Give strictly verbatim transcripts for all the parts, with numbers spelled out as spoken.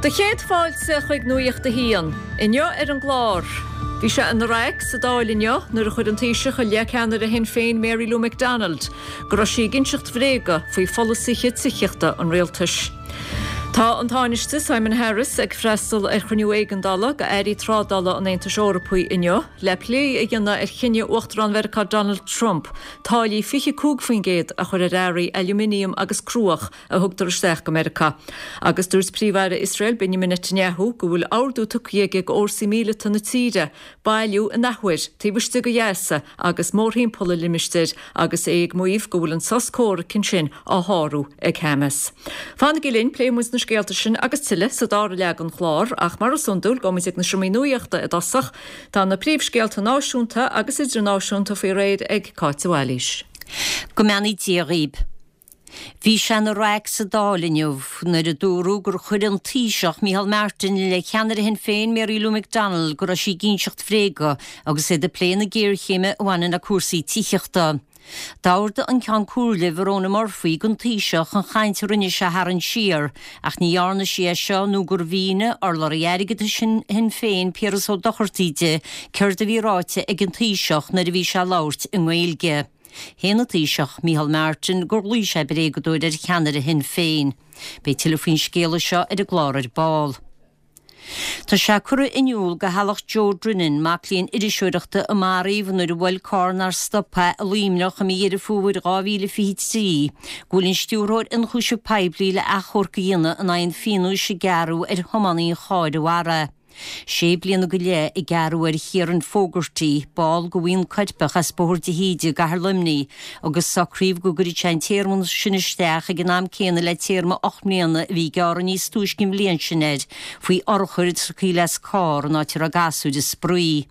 Do chéad fáilte chuig Nuacht a hAon. Inniu ar an gclár. Bhí sé ina raic sa Dáil inniu nuair a chuir an Taoiseach i leith ceannaire Shinn Féin Mary Lou McDonald, go raibh sí ag inseacht bhréaga faoi pholasaithe tithíochta an rialtais. Tá an Tánaiste Simon Harris ag freastal ar chruinniú éigeandála d'airí trádála an Aontais Eorpaigh inniu le plé a dhéanamh ar chinneadh Uachtarán Mheiriceá Donald Trump, táillí fiche cúig faoin gcéad a chur ar earraí aluminium agus cruach a thugtar isteach go Meiriceá. Agus dúirt Príomh-Aire Iosrael Benjamin Netanyahu go bhfuil ordú tugtha aige d'fhórsaí míleata na tíre bailiú in athuair taobh istigh de Ghaza agus mórthimpeall an limistéir agus é ag maíomh go bhfuil an sos comhraic ansin á shárú ag Hamas. Fanaigí linn pléifidh muid na scéalta sin agus tuilleadh sa dara leath den chlár ach mar is iondúil gabhfaidh muid ag na seomraí nuachta i dtosach tá na príomhscéalta náisiúnta agus idirnáisiúnta faoi réir ag Cáit Bhailís. Go mbeannaí Dia dhaoibh. Bhí sé ina raic sa Dáil inniu nuair a dúradh gur chuir an Taoiseach Micheál Martin i leith cheannaire Shinn Féin Mary Lou McDonald go raibh sí ag inseacht bhréaga agus iad ag plé na géarchéime a bhaineann le cúrsaí tithíochta. D'ordaigh an Ceann Comhairle Verona Murphy don Taoiseach an chaint a rinne sé a tharraingt siar, ach ní dhearna sí é seo nó gur mhínigh urlabhraí airgeadais Shinn Féin Piaras Ó Dochartaigh di céard a bhí ráite ag an Taoiseach nuair a bhí sé ag labhairt i nGaeilge. Shéan an Taoiseach Micheál Martin gur ghlaoigh sé bréagadóir ar cheannaire Shinn Féin. Beidh tuilleadh faoin scéala seo ar an gclár ar ball. Tá sé curtha in iúl do theaghlach Joe Drinnan, mac léinn iriseoireachta a maraíodh nuair a bhuail carr nár stop é i Luimneach i mí Dheireadh Fómhair dhá mhíle fiche trí, go bhfuil an stiúrthóir ionchúiseamh poiblí le achomharc a dhéanamh in aghaidh an phionóis a gearradh ar thiománaí an chairr a mharaigh. Sé bliana go leith a gearradh ar Chiaran Fogarty, ball de bhuíon coirpeach as Bóthar de hÍde i gCathair Luimnigh, agus socraíodh go gcuirfeadh sé an téarma sin isteach ag an am céanna le téarma ocht mbliana a bhí gearrtha níos túisce an bhliain sin air faoi urchar a scaoileadh as carr in áit a raibh gasúir ag spraoi.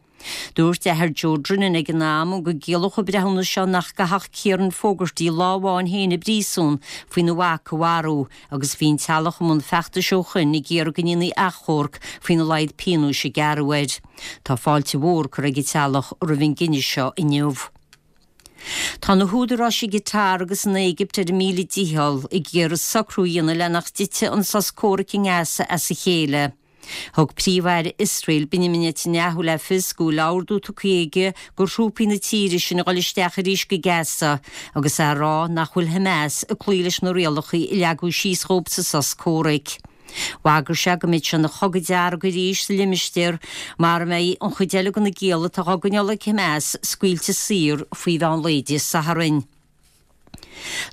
Dúirt athair Joe Drinnan ag an am go gciallódh an breithiúnas seo nach gcaithfeadh Ciaran Fogarty lá amháin féin i bpríosún faoina mhac a mharú agus bhí an teaghlach i mbun feachtais ó shoin ag iarraidh go ndéanfaí achomharc faoina laghad pionóis a gearradh air. Tá fáilte mhór curtha ag an teaghlach roimh an gcinneadh seo inniu. Tá na húdaráis i gCatar agus san Éigipt ar a míle dícheall ag iarraidh socrú a dhéanamh le nach dtitfidh an sos comhraic i nGaza as a chéile. Thug Príomh-Aire Iosrael Benjamin Netanyahu le fios go bhfuil ordú tugtha aige do thrúpaí na tíre sin a dhul isteach arís go Gaza agus é á rá nach bhfuil Hamas ag cloí leis na rialacha a leagadh síos dhóibh sa sos comhraic. Bhagair sé go mbeidh sé ina chogadh dearg arís sa limistéar mara mbeidh an chuid eile de na gialla atá á gcoinneáil ag Hamas scaoilte saor faoi mheán lae Dé Sathairn.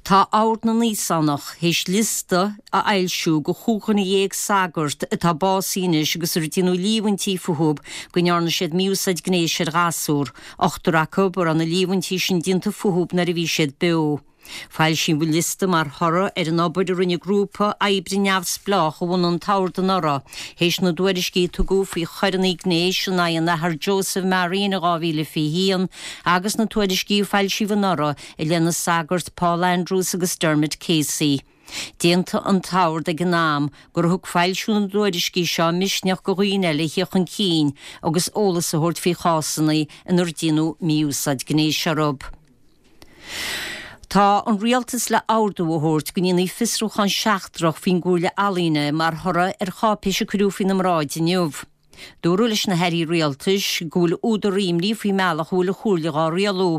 Tá Ord na nÍosánach théis liosta a fhoilsiú de chúig dhuine dhéag sagart atá básaithe anois agus ar déanadh líomhaintí fúthu go ndearna siad mí-úsáid gnéis ar ghasúir, ochtar acu a raibh na líomhaintí sin déanta fúthu nuair a bhí siad beo. Foilsíodh an liosta mar thoradh ar an obair a rinne grúpa oibre neamhspleách a bhunaigh an tOrd anuraidh, théis na dtuairiscí a tugadh faoi choireanna gnéis in aghaidh an Athar Joseph Marion in dhá mhíle fiche haon agus na tuairiscí a foilsíodh anuraidh i leith na sagart Paul Andrews agus Dermot Casey. D'aontaigh an tOrd ag an am gur thug foilsiú na dtuairiscí seo misneach do dhaoine eile a theacht chun cinn agus eolas a thabhairt faoi chásanna inar déanadh mí-úsáid gnéis orthu. Tá an rialtas le ordú a thabhairt go ndéanfaí fiosrúchán seachtrach faoin gComhairle Ealaíne mar thoradh ar cháipéis a cuireadh faoina mbráid inniu. Dúradh leis na hairí rialtais go bhfuil údar imní faoin mbealach a bhfuil an Chomhairle dhá rialú.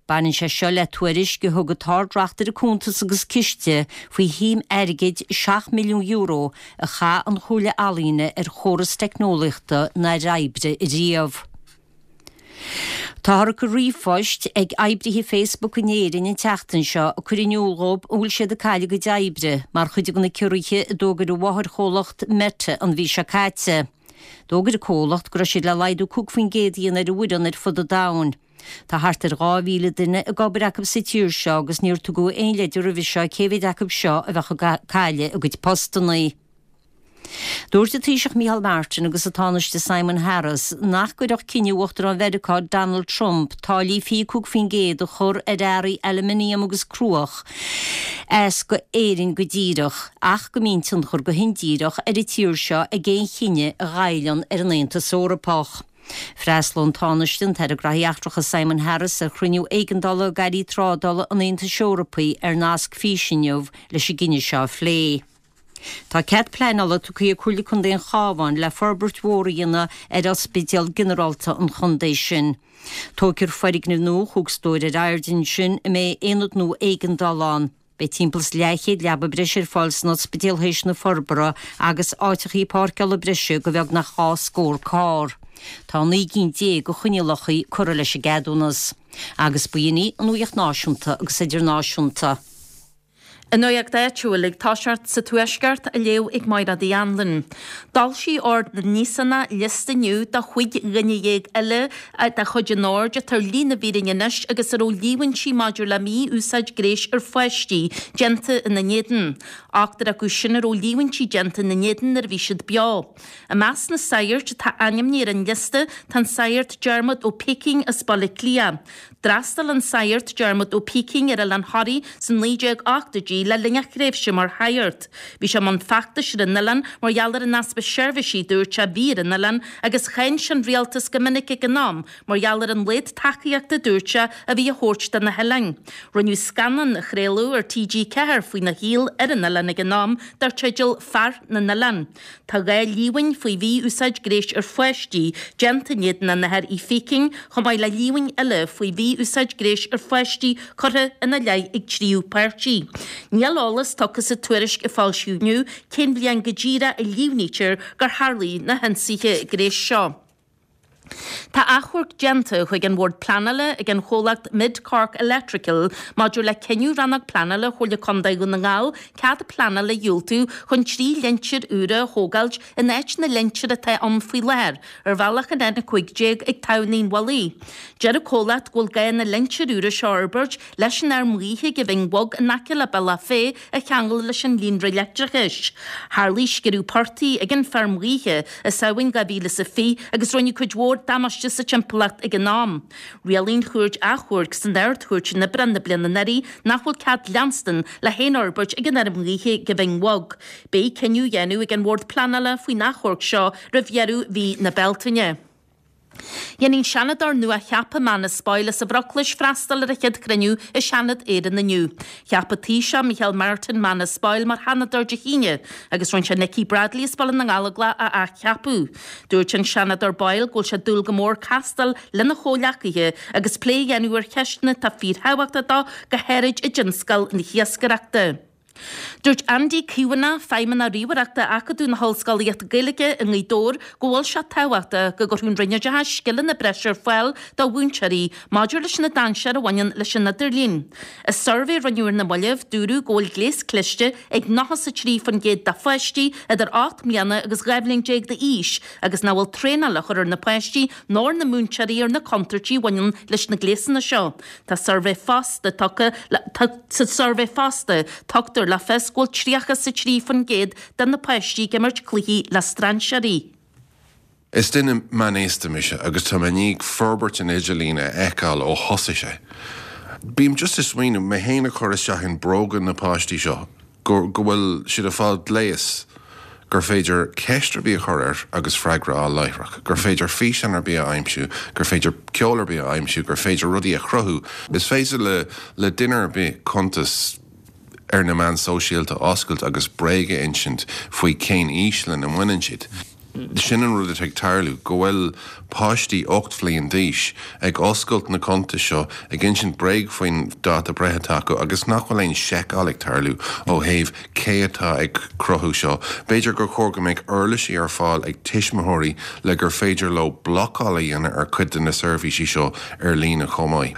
Baineann sé seo le tuairisc a thug an tArd-Reachtaire Cuntas agus Ciste faoi shuim airgid seacht milliún euro a chaith an Chomhairle Ealaíne ar chóras teicneolaíochta nár oibrigh riamh. Táthar ag cur ríomhphoist ag oibrithe Facebook in Éirinn an tseachtain seo ag cur in iúl dhóibh an bhfuil siad ag cailleadh a gcuid oibre mar chuid de na ciorruithe a d'fhógair an mháthairchomhlacht Meta an mhí seo caite. D'fhógair an comhlacht go raibh siad le laghdú cúig faoin gcéad a dhéanamh ar a bhfoireann ar fud an domhain. Tá thart ar dhá mhíle duine ag obair acu sa tír seo agus níor tugadh aon leide roimhe seo cé mhéad acu seo a bheadh ag cailleadh a gcuid postanna. Dúirt an Taoiseach Micheál Martin agus an Tánaiste Simon Harris nach gcuirfeadh cinneadh Uachtarán Mheiriceá Donald Trump táillí fiche cúig faoin gcéad a chur ar earraí aluminium agus cruach as go Éirinn go díreach ach go mbíonn tionchar go hindíreach ar an tír seo ag aon chinneadh a ghoilleann ar an Aontas Eorpach. Freastalóidh an Tánaiste an tAire Gnóthaí Eachtracha Simon Harris ar chruinniú éigeandála d'airí trádála an Aontais Eorpaigh ar nasc físe inniu leis an gcinneadh seo a phlé. Tá cead pleanála tugtha ag Comhairle Contae an Chabháin le forbairt mhór a dhéanamh ar ospidéal ginearálta an chontae sin. Tógfar foirgneamh nua chúig stór ar airde ansin a mbeidh aonad nua éigeandála ann. Beidh timpeall is leathchéad leaba breise ar fáil san ospidéal théis na forbartha agus áiteachaí páirceála breise do bheagnach dhá scór carr. Tá naoi gcinn déag de choinníollacha curtha leis an gceadúnas. Agus b'in í an nuacht náisiúnta agus idirnáisiúnta. An nuacht áitiúil ag toiseacht sa Tuaisceart á léamh ag Máire Uí Anluain. D'fhoilsigh Ord na nÍosánach liosta inniu de chúig dhuine dhéag eile de chuid an oird atá ar shlí na bhfírinne anois agus a raibh líomhaintí maidir le mí-úsáid gnéis ar pháistí déanta ina n-éadan. Ochtar acu sin a raibh líomhaintí déanta ina n-éadan nuair a bhí siad beo. I measc na sagart atá ainmnithe ar an liosta tá an Sagart Diarmuid Ó Pícín as Baile Átha Cliath. D'fhreastail an Sagart Diarmuid Ó Pícín ar Oileán Thoraí sna naoi déag ochtóidí le linn a thréimhse mar shagart. Bhí sé i mbun feachtais ar an oileán mar gheall ar an easpa seirbhísí dúirt sé a bhí ar an oileán agus cháin sé an rialtas go minic ag an am mar gheall ar an laghad tacaíochta dúirt sé a bhí á thabhairt do na hoileáin. Rinneadh scannán a chraoladh ar T G ceathair faoina shaol ar an oileán ag an am dar teideal Fear na nOileán. Tá dhá líomhain faoi mhí-úsáid gnéis ar pháistí déanta in éadan an Athar Uí Phícín chomh maith le líomhain eile faoi mhí-úsáid gnéis ar pháistí curtha ina leith ag tríú páirtí. Níl eolas tugtha sa tuairisc a foilsíodh inniu cén bhliain go díreach a líomhnaítear gur tharlaigh na hionsaithe gnéis seo. Tá achomharc déanta chuig an Bhord Pleanála ag an chomhlacht Mid Cork Electrical maidir le cinneadh Rannóg Pleanála Chomhairle Contae Dhún na nGall cead pleanála a dhiúltú chun trí lintéar úra a thógáilt in áit na lintéar atá ann faoi láthair ar bhealach an N a cúig déag ag Tamhnaí an Mhullaigh. Deir an comhlacht go bhfuil gá na lintéir úra seo a fhorbairt leis an fheirm ghaoithe ag an Bhinn Bhog in aice le Bealach Féich a cheangal leis an líonra leictreachais. Tharlaigh sciorradh portaigh ag an feirm ghaoithe i Samhain dhá mhíle is a fiche agus rinneadh cuid mhór damáiste sa timpeallacht ag an am. Rialaigh an Chúirt Achomhairc san Ard-Chúirt in Aibreán na bliana anuraidh nach bhfuil cead leanstan le haon fhorbairt ag an fheirm ghaoithe ag an Bhinn Bhog. Beidh cinneadh á dhéanamh ag an Bhord Pleanála faoin achomharc seo roimh dheireadh mhí na Bealtaine. Dhéanfaidh an Seanadóir nua-cheaptha Manus Boyle as an Bhruclais freastal ar a chéad chruinniú i Seanad Éireann inniu. Cheap an Taoiseach Micheál Martin Manus Boyle mar Sheanadóir Dé hAoine agus rinne sé Nikki Bradley as Baile na nGallóglach a athcheapadh. Dúirt an Seanadóir Boyle go bhfuil sé ag dúil go mór castáil lena chomhghleacaithe agus plé a dhéanamh ar cheisteanna atá fíorthábhachtach dó go háirid i dtionscal na hiascaireachta. Dúirt Andy Caomhánach, Feidhmeannach Ríomhaireachta Acadamh na hOllscolaíochta Gaeilge i nGaoth Dobhair, go bhfuil sé tábhachtach go gcuirfeadh an Roinn Oideachais scileanna breise ar fáil do mhúinteoirí maidir leis na dainséir a bhaineann leis an idirlíon. I suirbhé a rinneadh ar na mallaibh, dúradh go bhfuil gléas cliste ag nócha a trí faoin gcéad de pháistí idir ocht mbliana agus dhá bhliain déag d'aois agus nach bhfuil traenáil á chur ar na páistí nó ar na múinteoirí ar na contúirtí a bhaineann leis na gléasanna seo. Tá suirbhé fosta tugtha le, tá, sa suirbhé fosta tugtar le fios go bhfuil tríocha a trí faoin gcéad de na páistí ag imirt cluichí le strainséirí. Is duine meánaosta mise agus tá mé i ndiaidh forbairt an idirlín a fheiceáil ó thosaigh sé. Bím just ag smaoineamh mé féin a chur isteach in bróga na páistí seo go go bhfuil siad ag fáil gléas gur féidir ceist ar bith a chur air agus freagra a fháil láithreach, gur féidir físeán ar bith a aimsiú, gur féidir ceol ar bith a aimsiú, gur féidir rudaí a chruthú. Is féidir le le duine ar bith cuntas ar na meáin sóisialta a oscailt agus bréag a insint faoi cén aois lena mbaineann siad. Sin an rud atá ag tarlú, go bhfuil páistí ocht bhliain d'aois ag oscailt na cuntais seo, ag insint bréag faoin dáta breithe atá acu agus nach bhfuil aon seiceáil ag tarlú ó thaobh cé atá ag cruthú seo. B'fhéidir gur chóir go mbeadh uirlisí ar fáil ag tuismitheoirí le gur féidir leo blocáil a dhéanamh ar chuid de na seirbhísí seo ar líne chomh maith.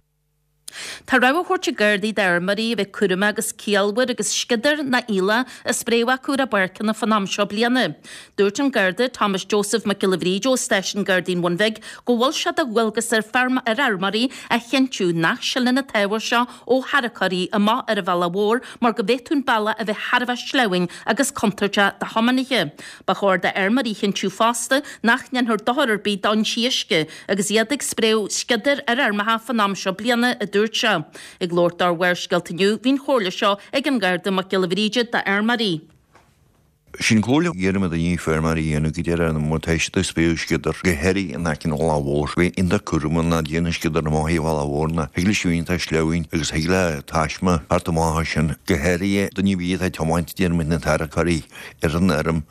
Tá rabhadh á thabhairt ag Gardaí d'fheirmeoirí a bheith cúramach agus ciallmhar agus sciodar ná aoileach á spréadh acu ar a bpáirceanna fán am seo bliana. Dúirt an Garda Thomas Joseph Mac Giolla Bhríde ó Stáisiún Gardaí an Bhun Bhig go bhfuil sé de dhualgas ar ar fheirmeoirí a chinntiú nach sileann an t-ábhar seo ó tharracóirí amach ar an bhealach mhór mar go bhféadfadh an bealach a bheith thar a bheith sleamhain agus contúirteach do thiománaithe. Ba chóir d'fheirmeoirí a chinntiú fosta nach ndéanfar dochar ar bith d'fhoinsí uisce agus iad ag spréadh sciodair ar fheirmeacha fán am seo bliana, a dúirt sé. Ag labhairt dár Bharrscéalta inniu, bhí an chomhairle seo ag an Gharda Mac Giolla Bhríde d'fheirmeoirí. Sin comhairle a dhéanfaidh daoine feirmeoirí a dhéanamh go deireadh má tá siad ag spéis sciodar go háirithe in aice an bhealaigh mhóir. Bheith iontach cúramach ná déanamh sciodar amach an bhealaigh mhóir ná thig le sibh iontach sleamhain agus thig le taisme thart amach as sin go háirithe duine ar bith atá ag tiomáint déarfaidh na tarracóirí ar an fheirm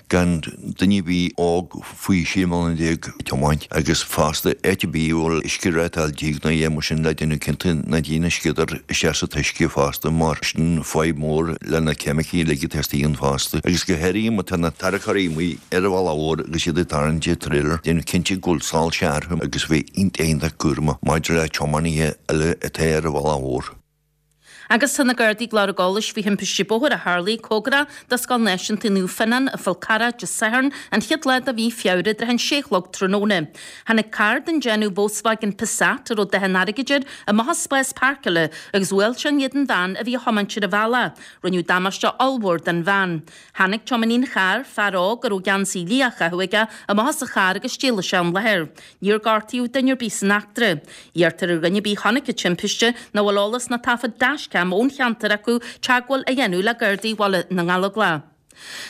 gan duine ar bith óg faoi sé mbliana déag ag tiomáint agus fosta áit ar bith a bhfuil uisce rátáil díg nó é mar sin le déanamh cinnte ná déanamh sciodar isteach sa t-uisce fosta mar sin fadhb mór le na ceimicí uilig atá istigh ann fosta agus go háirithe má tá na tarracóirí amuigh ar an bhealach mhór agus iad ag tarraingt an trailer, déanamh cinnte go bhfuil soilse orthu agus bheith iontach iontach cúramach maidir le tiománaithe eile atá ar an bhealach mhór. Agus tá na Gardaí ag lorg eolais faoi thimpiste bóthair a tharlaigh cóngarach do Scoil Náisiúnta Naomh Fionnán i bhFál Carrach Dé Sathairn, an chéad lá de mhí Feabhra, i dtrátha an sé a chlog tráthnóna. Tháinig carr den déanamh Volkswagen Passat a raibh dath an airgid air amach as spás páirceála agus bhuail sé in éadan bhean a bhí á thiomáint ar an bhealach. Rinneadh damáiste ollmhór don bhean. Tháinig tiománaí an chairr, fear óg a raibh geansaí liath á chaitheamh aige, amach as a charr agus d'éalaigh sé ón láthair. Níor gortaíodh duine ar bith san eachtra. Iarrtar ar dhuine ar bith a chonaic an timpiste nó a bhfuil eolas nó taifead dashcam ón cheantar acu teagmháil a dhéanamh le Gardaí Bhaile na nGallóglach.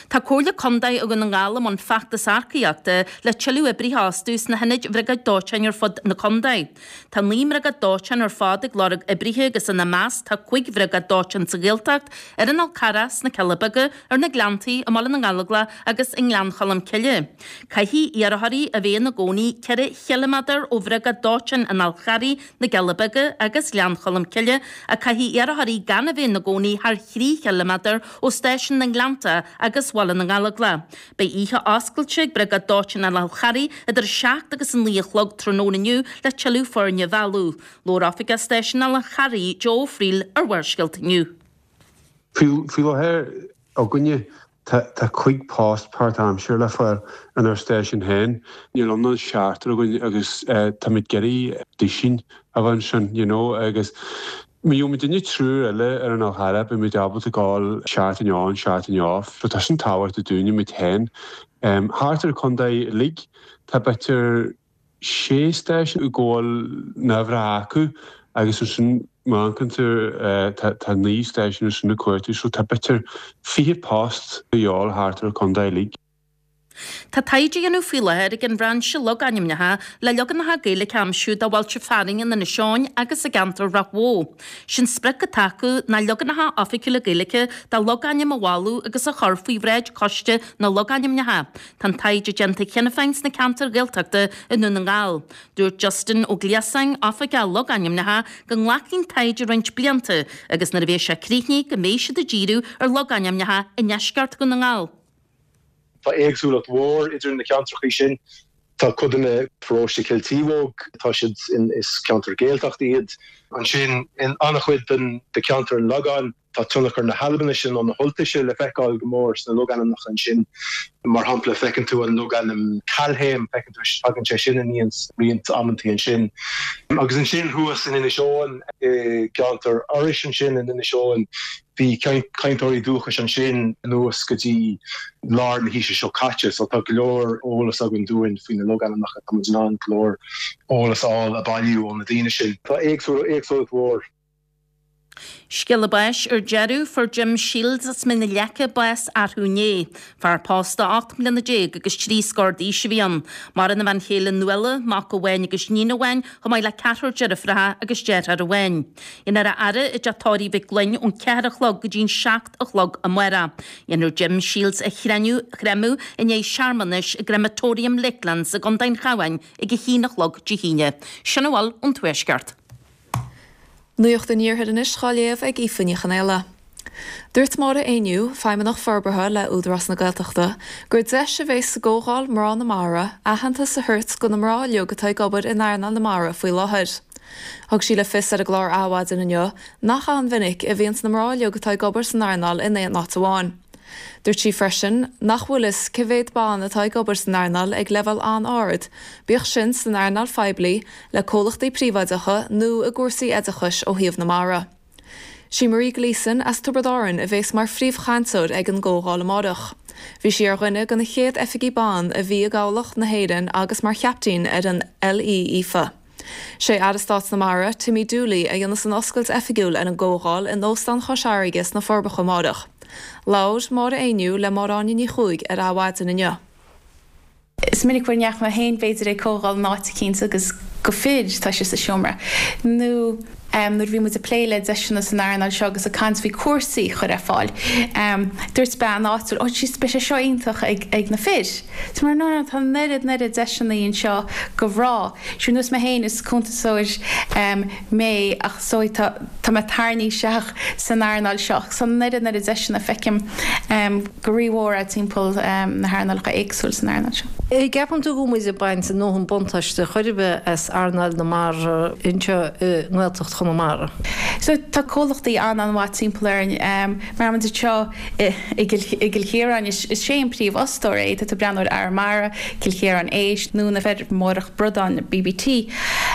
Tá Comhairle Contae Dhún na nGall i mbun feachtas earcaíochta le tuilleadh oibrithe a fhostú sna hionaid Bhriogáid Dóiteáin ar fud na contae. Tá naoi mbriogáid dóiteáin ar fad ag lorg oibrithe agus ina measc tá cúig bhriogáid dóiteáin sa Ghaeltacht, ar an Fhál Carrach, sna Cealla Beaga, ar na Gleanntaí, i mBaile na nGallóglach agus i nGleann Cholm Cille. Caithfidh iarrthóirí a bheith ina gcónaí ceithre chiliméadar ó bhriogáid dóiteáin an Fháil Charraigh, na gCealla Beaga agus Ghleann Cholm Cille ach caithfidh iarrthóirí gan a bheith ina gcónaí thar thrí chiliméadar ó stáisiún na nGleannta agus Bhaile na nGallóglach. Beidh oíche oscailte ag Briogáid Dóiteáin an Fháil Charraigh idir a seacht agus a naoi a chlog tráthnóna inniu le tuilleadh foirne a mhealladh. Labhair Oifigeach Stáisiún an Fháil Charraigh, Joe Ó Frighil ar Bharrscéalta inniu. Faoi láthair againne tá cúig post páirtaimseartha le fáil inár stáisiún féin. Níl ann ach seachtar againn agus táimid ag iarraidh duisín a bheith ansin, you know, agus Má gheobhaimid duine triúr eile ar an Fhál Charrach, beimid ábalta gabháil seachtain on, seachtain off. So tá sin tábhachtach dúinne muid féin. Thart ar an chontae uilig, tá b'fhéidir sé stáisiún go bhfuil neamhreatha acu agus ansin má amharcann tú tá naoi stáisiún ansin ag cuartú, so tá b'fhéidir fiche post a dhíobháil thart ar an chontae uilig. Tá taighde á dhéanamh faoi láthair ag an Bhrainse Logainmneacha le leaganacha Gaeilge a aimsiú do bhailte fearainn in Inis Eoghain agus i gceantar Ráth Bhoth. Sé'n sprioc atá acu ná leaganacha oifigiúla Gaeilge de logainm a bhailiú agus a chur faoi bhráid Choiste na Logainmneacha. Tá an taighde déanta cheana féin sna ceantair Ghaeltachta i nDún na nGall. Dúirt Justin Ó Gliasáin, Oifigeach Logainmneacha, go nglacfaidh an taighde roinnt blianta agus nuair a bheidh sé críochnaithe go mbeidh siad ag díriú ar logainmneacha i ndeisceart Dhún na nGall. Tá éagsúlacht mhór idir na ceantracha sin. Tá codanna paróiste Chill Taobhóg, tá siad in is ceantar Gaeltachta iad. Ansin in an-chuid den de cheantar an Lagáin, tá tionchar na hAlbainise nó na hUltaise le feiceáil go mór sna logainmneacha ansin. Mar shampla, feiceann tú an logainm Calhaem, feiceann tú tagann sé sin aníos roinnt amantaí ansin. Agus ansin thuas in Inis Eoghain, i gceantar Iorrais ansin in Inis Eoghain, Bhí cainteoirí dúchais ansin anuas go dtí lár na haoise seo caite, so tá go leor eolas againn dúinn faoi na logainmneacha, tá muid in ann go leor eolas a fháil a bailiú ó na daoine sin. Tá éagsúlacht mhór. Scéala báis ar deireadh, fuair Jim Shields as Mín na Leice bás arú inné. Fear pósta ocht mbliana déag agus trí scór d'aois a bhí ann. Maireann a bhean chéile Nuala, mac amháin agus níon amháin, chomh maith le ceathrar deirfiúracha agus deartháir amháin. Déanfar a fhaire i dTeach Tórraimh Mhic Fhloinn ón ceathair a chlog go dtí'n seacht a chlog amárach. Dhéanfar Jim Shields a chreimeadh i ndiaidh searmanais i gCrematorium Lakelands i gContae an Chabháin ag a haon a chlog Dé hAoine. Sin a bhfuil ón Tuaisceart. Nuacht an Iarthair anois dhá léamh ag Aoife Ní Chonaola. Dúirt Máire Éinniú, Feidhmeannach Forbartha le Údarás na Gaeltachta, gur deis a bheas sa gcomhdháil Mná na Mara aitheantas a thabhairt do na mná uilig atá ag obair in earnáil na mara faoi láthair. Thug sí le fios ar an gclár Adhmhaidin inniu nach an-mhinic a bhíonns na mná uilig atá ag obair san earnáil in aon áit amháin. Dúirt sí freisin nach bhfuil fhios cé mhéad ban atá ag obair san earnáil ag leibhéal an-ard, bíodh sin san earnáil phoiblí, le comhlachtaí príobháideacha nó i gcúrsaí oideachais ó thaobh na mara. Sí Marie Gleeson as Tiobraid Árann a bheas mar phríomhchainteoir ag an gcomhdháil amárach. Bhí sí ar dhuine de na chéad oifigigh ban a bhí i gCabhlach na hÉireann agus mar chaptaen ar an L.E. Aoife. Sé Aire Stáit na Mara, Timmy Dooley, a dhéanfas an oscailt oifigiúil ar an gcomhdháil in Óstán Chois Fharraige sna Forbacha amárach. Labhair Máire Éinniú le Máire Áine Ní Chuaig ar Adhmhaidin inniu. Is minic go ndeachaigh mé féin b'fhéidir ag comhdháil in áit eicínt agus gur fir atá sa seomra. Nó nuair a bhí muid ag plé le deiseanna san earnáil seo agus ag caint faoi cúrsaí a chur ar fáil. Dúirt bean áitiúil, oh jeez, beidh sé seo iontach ag, ag na fir. Tá mar no, no, tá an oiread, an oiread deiseanna anseo do mhná. Ar nós mé féin is cuntasóir mé ach so tá, tá mé tarraingthe isteach san earnáil seo. So an oiread, an oiread deiseanna feicim go rímhór timpeall na hearnálacha éagsúil san earnáil seo. Ceapann tú go bhfuil muid ag baint a ndóthain buntáiste chor ar bith as earnáil na mara anseo i nGaeltacht Chonamara? So tá comhlachtaí an-an-mhaith timpeall orainn. Mar muid anseo i gCill Chiaráin, is é an príomhfhostóir é, tá tú ag breathnú ar Arramara, Cill Chiaráin Éisc nó na feirmeoireacht bradán BBT.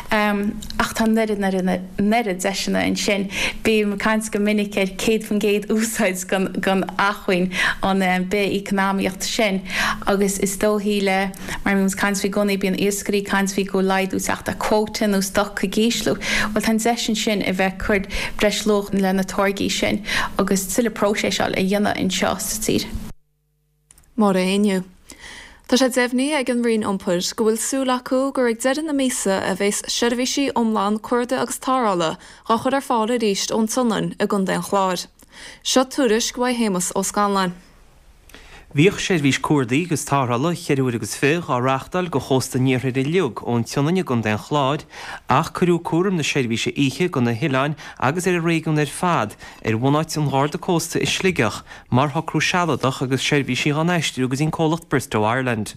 Ach tá an oiread, an oiread, an oiread deiseanna ansin. Bím ag caint go minic ar céad faoin gcéad úsáid den acmhainn an bith-eacnamaíocht sin agus is dóichí le mar bíonn muid ag caint faoi i gcónaí bíonn iascairí ag caint faoi go bhfuil laghdú ag teacht ar quota nó stoc ag ísliú. Bhuel tá an deis ansin a bheith ag cur breis luach le na táirgí sin agus tuilleadh próiseáil a dhéanamh anseo sa tír. Máire Éinniú. Tá sé deimhnithe ag an Roinn Iompair go bhfuil súil acu gur ag deireadh na míosa a bheas seirbhísí iomlán cuardaigh agus tarrthála á chur ar fáil arís ón tSionainn i gContae an Chláir. Seo tuairisc uaidh Shéamus Ó Scanláin. Bhíodh seirbhís cuardaigh agus tarrthála cheithre huaire agus fiche á reáchtáil go chósta an iarthair uilig ón tSionainn i gContae an Chláir ach cuireadh cúram na seirbhíse oíche go na hoileáin agus ar an réigiún ar fad ar bhunáit an Gharda Cósta i Sligeach mar shocrú sealadach agus seirbhísí á n-aistriú go dtí an comhlacht Bristow Ireland.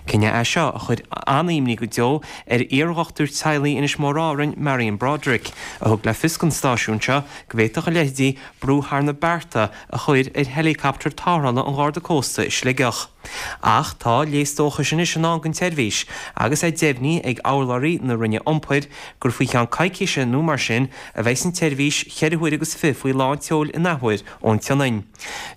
Cinneadh é seo a chuir an-imní go deo ar iardhochtúir teaghlaigh Inis Mór Árainn, Marion Broderick, a thug le fios don stáisiún seo go bhféadfadh a leithéidí brú thar na bearta a chur ar heileacaptar tarrthála an Gharda Cósta i Sligeach. Ach tá léas dóchais anois i ndán don tseirbhís agus é deimhnithe ag urlabhraí na Roinne Iompair gur faoi cheann coicíse nó mar sin a bheidh an tseirbhís cheithre huaire agus fiche faoi lán tseoil in athuair ón tSionainn.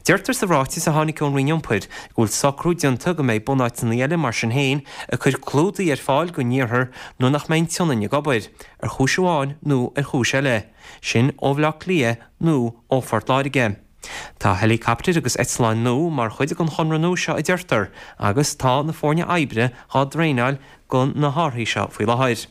Deirtear sa ráiteas a tháinig ón Roinn Iompair go bhfuil socrú déanta go mbeidh bunáiteanna eile mar sin féin ag cur clúdaigh ar fáil don iarthar nuair nach mbeidh an tSionainn ag obair, ar chúis amháin nó ar chúis eile, sin ó Bhaile Átha Cliath nó ó Phort Láirge. Tá heileacaptair agus eitleáin nua mar chuid den chonradh nua seo a deirtear agus tá na foirne oibre á dtraenáil do na hárthaí seo faoi láthair.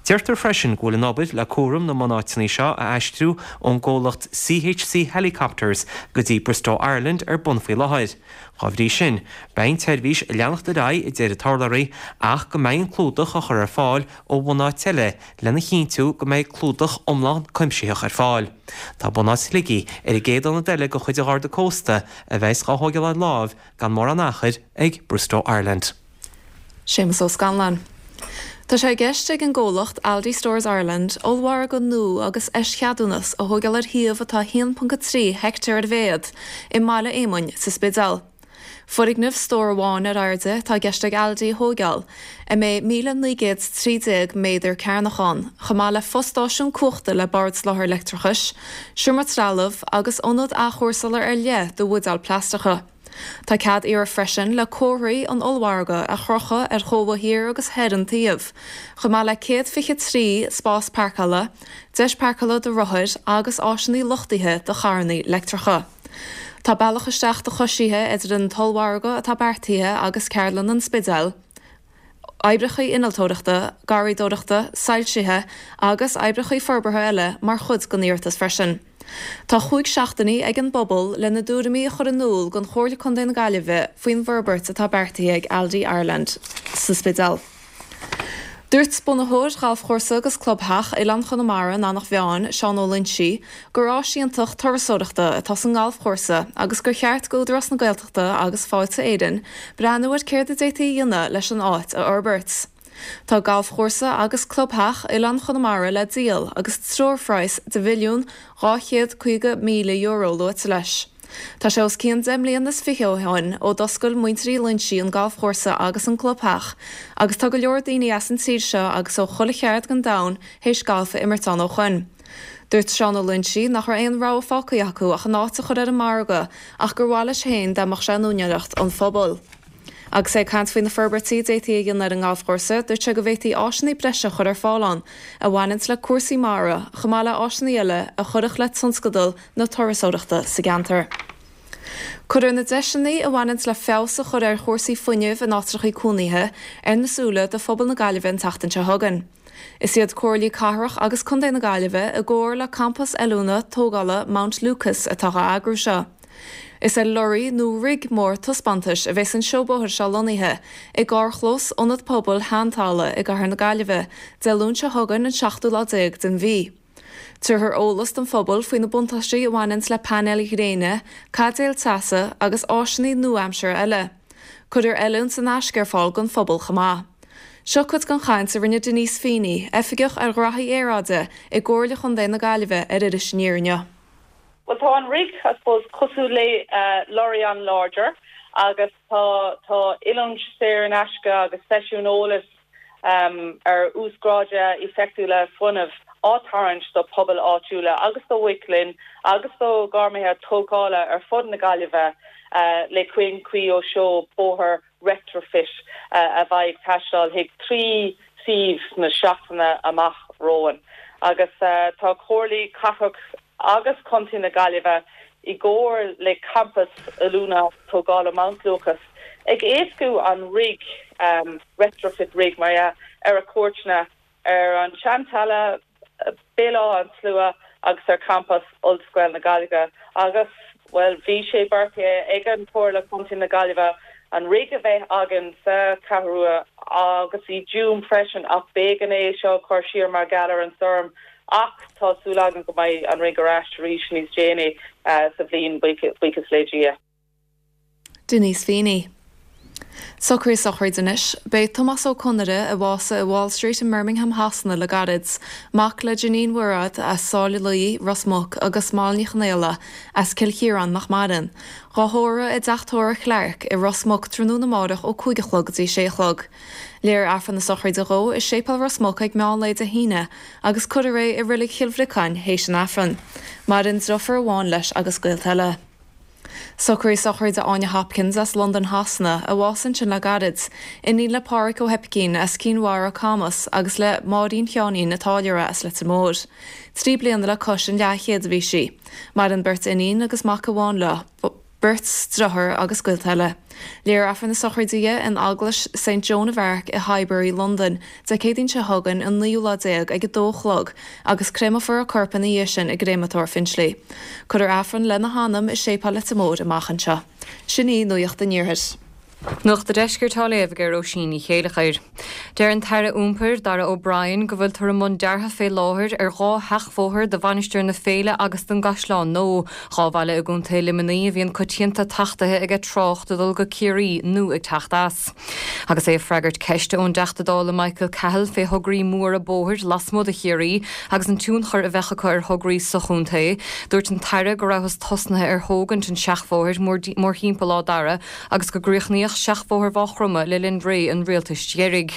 Deirtear freisin go bhfuil an obair le cúram na mbunáiteanna seo a aistriú ón gcomhlacht CHC Helicopters go dtí Bristow Ireland ar bun faoi láthair. Dá bhrí sin, beidh an tseirbhís ag leanacht ar aghaidh, a deir an t-urlabhraí, ach go mbeidh an clúdach á chur ar fáil ó bhunáit eile lena chinntiú go mbeidh clúdach iomlán cuimsitheach ar fáil. Tá bunáit Shligigh ar an gcéad ionad eile de chuid an Gharda Cósta a bheas á thógáil ar láimh gan mórán achair ag Bristow Ireland. Séamus Ó Scanláin. Tá sé i gceist ag an gcomhlacht Aldi Stores Ireland ollmhargadh nua agus eischeadúnas a thógáil ar shuíomh atá a haon ponc a trí heicteár ar a mhéad i mBaile Éamoinn sa Spidéal. Foirgneamh stór amháin ar airde atá i gceist ag Aldi a thógáil, a mbeidh míle naoi gcéad is trí déag méadar cearnach ann, chomh maith le fostáisiún cumhachta le bord soláthair leictreachais, seomra trealaimh agus ionad athchúrsála ar leith do bhuidéil plaisteacha. Tá cead iarrtha freisin le comharthaí an ollmhargaidh a chrochadh ar chóbha thiar agus thoir an tsuímh, chomh maith le céad fiche trí spás páirceála, deis páirceála do rothair agus áiseanna luchtaithe do charranna leictreacha. Tá bealach isteach do choisithe idir an t-ollmhargadh atá beartaithe agus Ceardlann an Spidéil, oibreacha innealtóireachta, garraíodóireachta, soilsithe agus oibreacha forbartha eile mar chuid den iarratas freisin. Tá chúig seachtainí ag an bpobal lena dtuairimí a chur in iúl don Chomhairle Contae na Gaillimhe faoin bhforbairt atá beartaithe ag Aldi Ireland sa Spidéal. Dúirt bunaitheoir Ghalfchúrsa agus Clubtheach Oileán Chonamara in Eanach Mheáin, Seán Ó Loinsigh, gur áis iontach turasóireachta atá sa ngalfchúrsa agus gur cheart d'Údarás na Gaeltachta agus Fáilte Éireann breathnú ar céard a d'fhéadfaí a dhéanamh leis an áit a fhorbairt. Tá Galfchúrsa agus Clubtheach Oileán Chonamara le díol agus treoirphraghas de mhilliún dhá chéad caoga míle euro luaite leis. Tá sé os cionn deich mbliana is fiche ó shin ó d'oscail muintir Uí Loinsigh an galfchúrsa agus an clubtheach agus tá go leor daoine as an tír seo agus ó chuile cheard den domhan théis galf a imirt ann ó shoin. Dúirt Seán Ó Loinsigh nach raibh aon rogha fágtha acu ach an áit a chur ar an margadh ach gur mhaith leis féin dá mbeadh sé in úinéireacht an phobail. Agus é ag caint faoi na forbairtí a d'fhéadfaí a dhéanamh ar an ngalfchúrsa, dúirt sé go bhféadfaí áiseanna breise a chur ar fáil ann a bhaineanns le cúrsaí mara, chomh maith le áiseanna eile a chuirfeadh le tionscadal na turasóireachta sa gceantar. Cuirfear na deiseanna a bhaineanns le feabhas a chur ar chúrsaí fuinnimh in áitreachaí cónaithe ar na súile do phobal na Gaillimhe an tseachtain seo chugainn. Is iad Comhairlí Cathrach agus Contae na Gaillimhe i gcomhar le Campas Oiliúna Tógála Mount Lucas atá á eagrú seo. Is ar lorry nó rig mór taispeántais a bheas an seó bóthair seo lonnaithe i gcarrchlós Ionad Pobail Sheantala i gcathair na Gaillimhe, Dé Luain seo chugainn an seachtú lá déag den mhí. Tabharfar eolas don phobal faoi na buntáistí a bhaineanns le painéil ghréine, caidéil teasa agus áiseanna nua-aimseartha eile. Cuirfear oiliúint in aisce ar fáil don phobal chomh maith. Seo cuid den chaint a rinne Denise Feeney, Oifigeach ar Ghraithí Aeráide i gComhairle Chontae na Gaillimhe ar Iris Aniar inniu. Bhuel tá an rig, I suppose, cosúil le lorry an-láidir agus tá tá oiliúint saor in aisce agus seisiún eolais ar uasghráduithe éifeachtúla fuinnimh á tharraingt do pobail áitiúla agus do mhic léinn agus do ghairmithe tógála ar fud na Gaillimhe le caoinchead ó seó bóthair Retrofit a bheidh ag taisteal chuig trí suíomh sna seachtaine amach romhainn. Agus tá Comhairlí Cathrach agus Contae na Gaillimhe i gcomhar le Campas Oiliúna Tógála Mount Lucas ag éascú an rig retrofit rig mar dhea ar a cuairteanna ar an Seantalamh, Béal Átha an tSlua agus ar champas Ollscoil na Gaillimhe agus, bhuel, bhí sé beartaithe ag an Chomhairle Contae na Gaillimhe an rig a bheith againn sa Cheathrú Rua agus i dTuaim freisin ach b'éigean é seo a chur siar mar gheall ar an stoirm ach tá súil againn go mbeidh an rig ar ais arís níos déanaí sa bhliain, buíochas le Dia. Denise Feeney. Socruithe sochraide anois. Beidh Tomás Ó Conaire, a bhásaigh i Wall Street i mBirmingham Shasana le gairid, mac le Janine Mhuiread as Sáile Luí, Ros Muc, agus Molly Ní Chonaola as Cill Chiaráin nach maireann, dhá thórramh i dteach tórraimh Chlarke i Ros Muc tráthnóna amárach ó cúig a chlog go dtí sé a chlog. Léifear Aifreann na sochraide dhó i Séipéal Ros Muc ag meán lae Dé hAoine agus cuirfear é i Reilig Chill Bhriocáin théis an Aifrinn. Maireann deirfiúr amháin leis agus gaolta eile. Socruithe sochraide Áine Hopkins as Londain Shasana, a bhásaigh ansin le gairid, iníon le Páraic Ó hOipicín as Cinn Mhara, Camas, agus le Máirín Sheáinín a' Táilliúra as Leitir Móir. Trí bliana le cois an leathchéad a bhí sí. Maireann beirt iníon agus mac amháin leo, beirt deartháir agus gaolta eile. Léifear Aifreann na sochraide di in Eaglais Saint Joan of Arc i Highbury, Londain, Dé Céadaoin seo chugainn, an naoú lá déag, ag a dó a chlog, agus créamfar a corp ina dhiaidh sin i gCréamatóir Finchley. Cuirfear Aifreann lena hanam i Séipéal Leitir Móir amach anseo. Sin í Nuacht an Iarthair. Nuacht an Deiscirt á léamh ag Róisín Ní Chéilleachair. Deir an tAire Iompair, Darragh O'Brien, go bhfuiltear i mbun deartha fé láthair ar dhá sheachbhóthar do Mhainistir na Féile agus don gCaisleán Nua, dhá bhaile i gContae Luimnigh a bhíonn coitianta tachtaithe aige trácht ag dul go Ciarraí nó ag teacht as. Agus é ag freagairt ceiste ón dTeachta Dála Michael Cahill fé thograí móra bóthair lasmuigh de Chiarraí agus an tionchar a bheadh acu ar thograí sa chontae, dúirt an tAire go rabhthas tosnaithe ar thógaint an tseachbhóthair mórthimpeall Áth Dara agus go gcríochnaíodh seachbhóthar Mhaigh Chromtha le linn ré an rialtais dheiridh.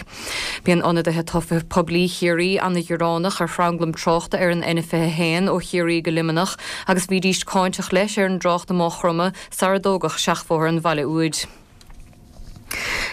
Bíonn ionadaithe tofa poiblí Chiarraí ana-ghearánach ar thranglam tráchta ar an N fiche a haon ó Chiarraí go Luimneach agus bhídís cáinteach leis ar an dtrácht i Maigh Chromtha sara dtógadh seachbhóthar an bhaile úid.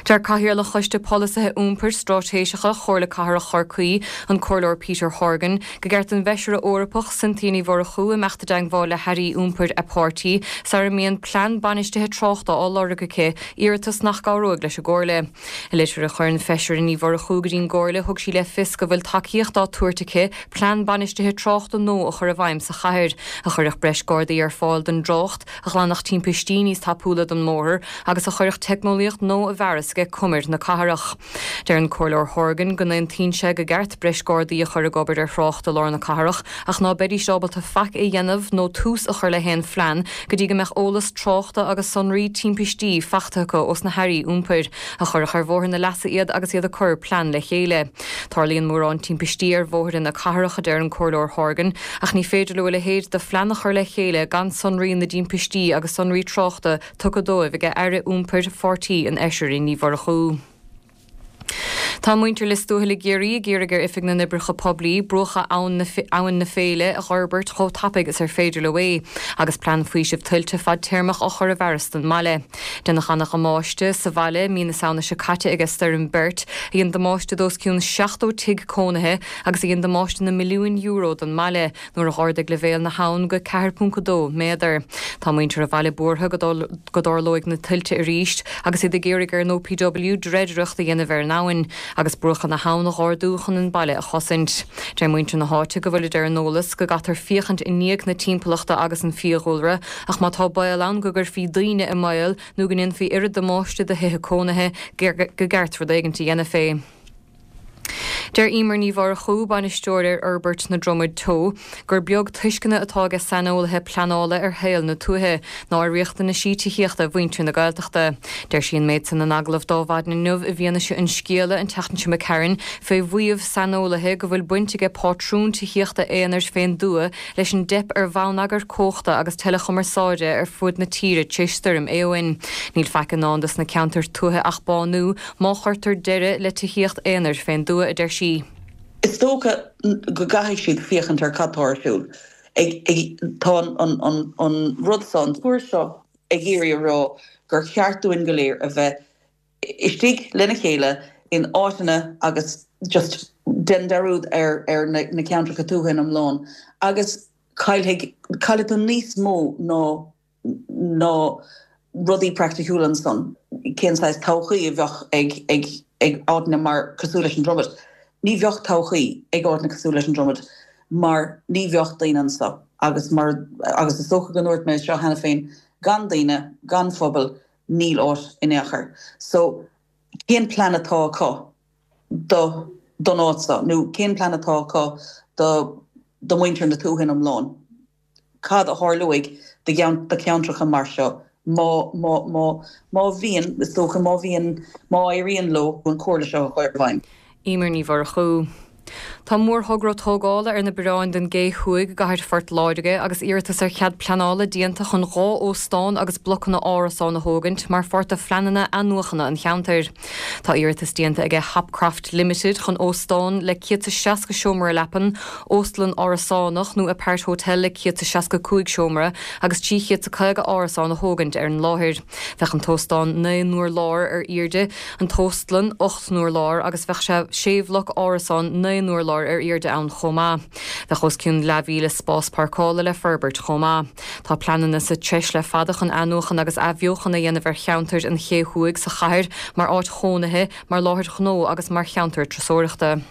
Deir Cathaoirleach Choiste Polasaithe Iompair Straitéiseacha Chomhairle Cathrach Chorcaí, an Comhairleoir Peter Horgan, gur cheart don bhFeisire Eorpach Cynthia Ní Mhurchú imeacht i dteagmháil le hairí iompair a páirtí sara mbíonn plean bainistithe tráchta á lorg aici, iarratas nach gcabhróidh leis an gComhairle. I litir a chuir an Feisire Ní Mhurchú go dtí'n gComhairle thug sí le fios go bhfuil tacaíocht á tabhairt aici plean bainistithe tráchta nua a chur i bhfeidhm sa chathair, a chuirfeadh breis gardaí ar fáil don dtrácht, a ghlanfadh timpistí níos tapúla den mbóthar agus a chuirfeadh teicneolaíocht nua i bhfearas ag cumair na cathrach. Deir an Comhairleoir Horgan go n-aontaíonn sé gur ceart breis gardaí a chur ag obair ar thrácht i lár na cathrach ach ná beidís ábalta faic a dhéanamh nó tús a chur le haon phlean go dtí go mbeadh eolas tráchta agus sonraí timpistí faighte acu ós na hairí iompair, a chuirfeadh ar bhóthar na leasa iad agus iad ag cur plean le chéile. Tarlaíonn mórán timpistí ar bhóithre na cathrach, a deir an Comhairleoir Horgan, ach ní féidir leo a leithéid de phlean a chur le chéile gan sonraí na dtimpistí agus sonraí tráchta tugtha dóibh ag Aire Iompair pháirtí an Fheisire Ní Mhurchú. Tá muintir Lios Tuathail i gCiarraí ag iarraidh ar Oifig na nOibreacha Poiblí bruacha Abhainn na Féile a dh'fhorbairt chomh tapaidh is ar féidir leo é, agus plean faoisimh tuilte fadtéarmach á chur i bhfearas don mbaile. Deineadh ana-dhamáiste sa bhaile mí na Samhna seo caite aige Stoirm Bert, a dhein damáiste d'os cionn seachtó tigh cónaithe agus a dhein damáiste na milliúin euro don mbaile nuair a dh'ardaigh leibhéal na habhann go ceathair ponc a dó méadar. Tá muintir an bhaile buartha go dtarlóidh na tuilte arís agus iad ag iarraidh ar an OPW dreidireacht a dhéanamh ar an abhainn agus bruacha na habhann a dh'ardú chun an baile a chosaint. Deir muintir na háite go bhfuilid ar an eolas go gcaithfear féachaint i ndiaidh na timpeallachta agus an fiadhúlra ach má tá baol ann go gcuirfí daoine i mbaol nó go ndéanfaí oiread damáiste do thithe cónaithe go gceart rud éigint a dhéanamh fé. Deir Emer Ní Mhurchú, Bainisteoir ar Fhorbairt na Dromad Teo, gur beag tuisceana atá aige saineolaithe pleanála ar shaol na tuaithe ná ar riachtanaisí tithíochta mhuintir na Gaeltachta. Deir sí an méid san in agallamh d'Adhmhaidin inniu i bhfianaise an scéala an tseachtain seo imigh tharainn fé mhaíomh saineolaithe go bhfuil baint aige pátrún tithíochta aonair fén dtuath leis an dteip ar bhonneagar cumhachta agus teileachumarsáide ar fud na tíre tar éis stoirm Éowyn. Níl faic i ndán dos na ceantair tuaithe ach bánú má chuirtear deireadh le tithíocht aonair fén dtuath, a deir sí. Is dócha go gcaithfidh siad féachaint ar cad tá ar siúl. Tá an rud seo, an tuairisc seo ag iarraidh a rá gur cheart dúinn go léir a bheith istigh lena chéile in áiteanna agus just déan dearúd ar ar na ceantracha tuaithe in iomlán agus caillfidh caillfidh tú níos mó ná ná rudaí praiticiúla ansan. Cén saghas todhchaí a bheadh ag ag ag áiteanna mar cosúil leis an Dromad? Ní bheadh todhchaí ag áiteanna cosúil leis an Dromad mar ní bheadh daoine anso agus mar agus is dócha go ndúirt mé seo cheana féin, gan daoine, gan phobal, níl áit in aon chor. So cén plean atá acu do don áit seo nó cén plean atá acu do do mhuintir na tuaithe in iomlán? Cad a tharlóidh do do cheantracha mar seo má má má má bhíonn, is dócha, má bhíonn, má éiríonn leo an chomhairle seo a chur i bhfeidhm? Emer Ní Mhurchú. Tá mórthogra tógála ar na bioráin don gCé Thuaidh i gcathair Phort Láirge agus iarratas ar chead pleanála déanta chun dhá óstán agus blocanna árasán a thógaint mar pháirt de phleananna athnuachana an cheantair. Tá iarratas déanta aige Hopcroft Limited chun óstán le céad is seasca seomra leapan, óstlann árasánach nó apart hotel le céad is seasca cúig seomra agus trí chéad is caoga árasán a thógaint ar an láthair. Bheadh an t-óstán naoi n-urlár ar airde, an t-óstlann ocht n-urlár agus bheadh sé sé bhloc árasán naoi n-urlár ar airde ann chomh maith. Bheadh os cionn leathmhíle spás páirceála le forbairt chomh maith. Tá pleananna sa treis le fada chun athnuachan agus athbheochan a dhéanamh ar cheantar an Ché Thuaidh sa chathair mar áit chónaithe, mar láthair ghnó agus mar cheantar turasóireachta.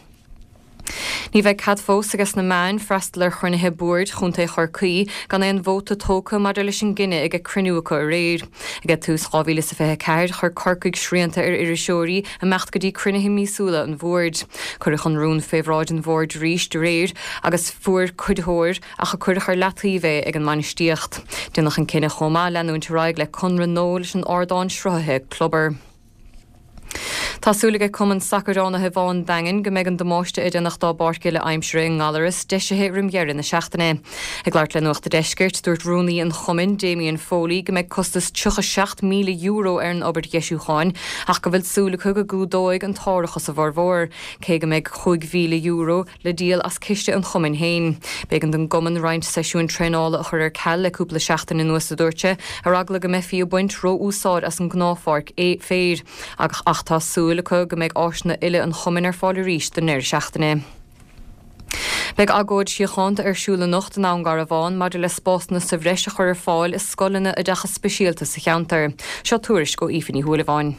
Ní bheidh cead fós aige na meáin freastal ar chruinnithe boird Chontae Chorcaí gan aon vóta tógtha maidir leis an gcinneadh ag cruinniú acu aréir. Ag tús dhá mhíle is a fiche a ceathair, chuir Corcaigh srianta ar iriseoirí imeacht go dtí cruinnithe míosúla an bhoird. Cuireadh an rún fé bhráid an bhoird arís aréir agus fuair cuiditheoir ach a cuireadh ar leataobh é ag an mbainistíocht. Déanadh an cinneadh chomh maith leanúint ar aghaidh le conradh nua leis an ardán sruthaithe Clubber. Tá súil aige Cumann Sacair Fhánaithe Bhá an Daingin go mbeidh an damáiste a deineadh dá bpáirc uile aimsire i nGallaras deisithe roim dheireadh na seachtaine. Ag labhairt le Nuacht a' Deiscirt, dúirt rúnaí an chumainn, Damien Foley, go mbeidh costas tríocha seacht míle euro ar an obair dheisiúcháin ach go bhfuil súil acu go gcumhdóidh an t-árachas a bhformhór, cé go mbeidh chúig mhíle euro le díol as ciste an chumainn féin. B'éigean don gcumann roinnt seisiúin traenála a chur ar ceal le cúpla seachtain anuas, a dúirt sé, ar eagla go mbeifí ag baint ró-úsáid as an ngnáthpháirc féir. Ach tá súil acu go mbeidh áiseanna uile an chumainn ar fáil arís don ndeireadh seachtaine. Beidh agóid síochánta ar siúl anocht i nDún Garbhán maidir le spásanna sa bhreis a chur ar fáil i scoileanna oideachais speisialta sa cheantar. Seo tuairisc ó Aoife Ní Shúilleabháin.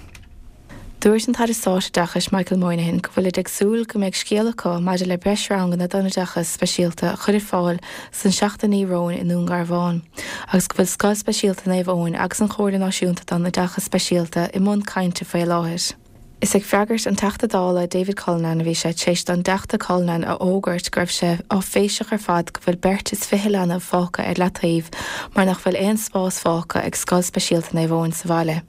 Dúirt an tAire Stáit Oideachais Michael Moynihan go bhfuilid ag súil go mbeidh scéal acu maidir le breis ranganna don oideachas speisialta a chur ar fáil sna seachtainí romhainn i nDún Garbhán agus go bhfuil Scoil Speisialta Naomh Eoin agus an Chomhairle Náisiúnta don Oideachas Speisialta i mbun cainte faoi láthair. Is ag freagairt an Teachta Dála David Cullinane a bhí sé tar éis don dTeachta Cullinane a fhógairt go raibh sé áiféiseach ar fad go bhfuil beirt is fiche leanbh fágtha ar leataobh mar nach bhfuil aon spás fágtha ag Scoil Speisialta Naomh Eoin sa bhaile.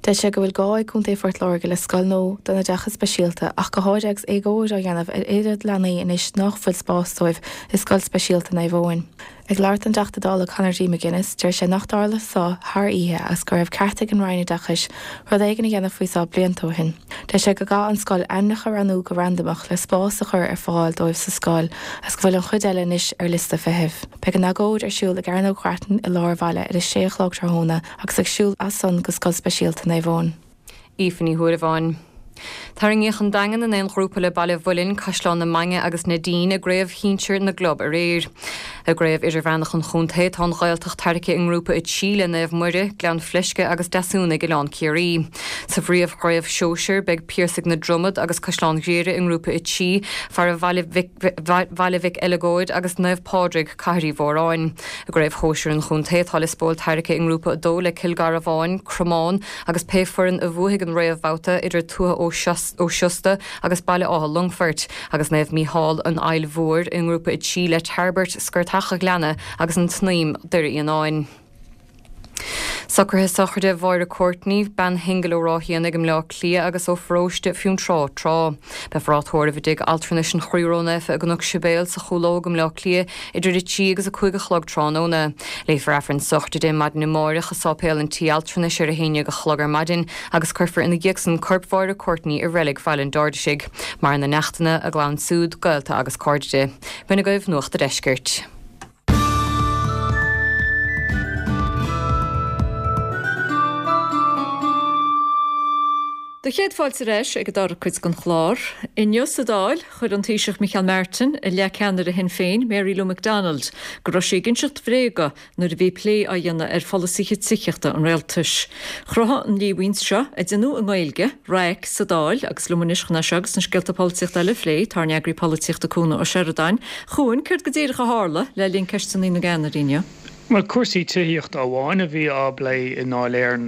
Deir sé go bhfuil gá ag Contae Phort Láirge le scoil nua don oideachas speisialta ach go háirithe agus éagóir á dhéanamh ar oiread leanaí anois nach bhfuil spás dóibh i Scoil Speisialta Naomh Eoin. Ag labhairt an Teachta Dála Conor D. McGuinness, deir sé nach dtarla seo thar oíche agus go raibh ceart ag an Roinn Oideachais rud éigin a dhéanamh faoi seo blianta ó shin. Deir sé go gcaithfidh an scoil ainmneacha a roghnú go randamach le spás a chur ar fáil dóibh sa scoil agus go bhfuil an chuid eile anois ar liosta feithimh. Beidh an agóid ar siúl i gCearnóg Ghrattan i lár an bhaile ar a sé a chlog tráthnóna agus ag siúl as san go Scoil Speisialta Naomh Eoin. Aoife Ní Thuaireabháin. Tarraingíodh an Daingean in aon ghrúpa le Baile Mhuilinn, Caisleán na Mainge agus na Dín i gcraobh shinsir na gclub aréir. I gcraobh idirmheánach an chontae tá an Ghaeltacht tarraingthe i ngrúpa a trí le Naomh Muire, Gleann Fleisce agus Deasúnaigh Oileán Ciarraí. Sa bpríomhchraobh sóisir beidh Piarsaigh na Dromad agus Caisleán Ghriaire i ngrúpa a trí, fara Bhaile Bhaile Mhic Eileagóid agus Naomh Pádraig, Cathair Uí Mhóráin. I gcraobh shóisir an chontae tá Lios Póil tarraingthe i ngrúpa a dó le Cill Garbháin, Cromán agus pé foireann a bhuafaidh an réamhbhabhta idir Tuath Ó Siosta agus Baile Átha Longfoirt, agus Naomh Mícheál an Fhaill Mhór i ngrúpa a trí le Tairbeart, Scortach a' Ghleanna agus an tSnaidhm, Doire Fhíonáin. Socruithe sochraide Mháire Courtney, bean shingil ó Ráth Éanaigh i mBleá Cliath agus ó pharóiste Fionntrá tráth. Beifear á tórramh i dTigh Altranais an Chroí Ró-Naofa i gCnoc Sibéal sa Chúlóg i mBleá Cliath idir a trí agus a cúig a chlog tráthnóna. Léifear Aifreann sochraide di maidin amáireach i Sáipéal an Tí Altranais ar a haon déag a chlog ar maidin agus cuirfear ina dhiaidh san corp Mháire Courtney i reilig Bhaile an Bhairdisigh. Maireann a neachtanna, a gclann siúd, gaolta agus cairde di. B'in agaibh Nuacht a' Deiscirt. Do chéad fáilte ar ais ag an dara cuid den chlár. Inniu sa Dáil, chuir an Taoiseach Micheál Martin i leith ceannaire Shinn Féin, Mary Lou McDonald, go raibh sí ag inseacht bhréaga nuair a bhí plé á dhéanamh ar pholasaithe tithíochta an rialtais. Chruthaigh an líomhain seo, a déanadh i nGaeilge, raic sa Dáil agus liom anois chun é seo agus na scéalta polaitíochta eile a phlé, tá ár n-eagraí polaitíochta Cuan Ó Seireadáin. A Chuain, céard go díreach a tharla le linn ceisteanna na gceannairí inniu? Bhuel, cúrsaí tithíochta amháin a bhí á bplé i nDáil Éireann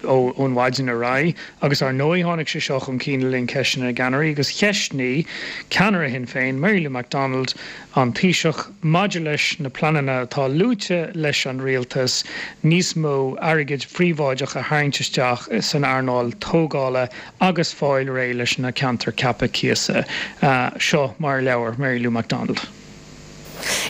ón mhaidin ar aghaidh agus ar ndóigh tháinig sé seo chun cinn le linn ceisteanna na gceannairí agus cheistnigh ceannaire Shinn Féin, Mary Lou McDonald, an Taoiseach maidir leis na pleananna atá luaite leis an rialtas níos mó airgid phríobháideach a tharraingt isteach san earnáil tógála agus fáil réidh leis na ceantair ceaptha cíosa. Seo mar a labhair Mary Lou McDonald.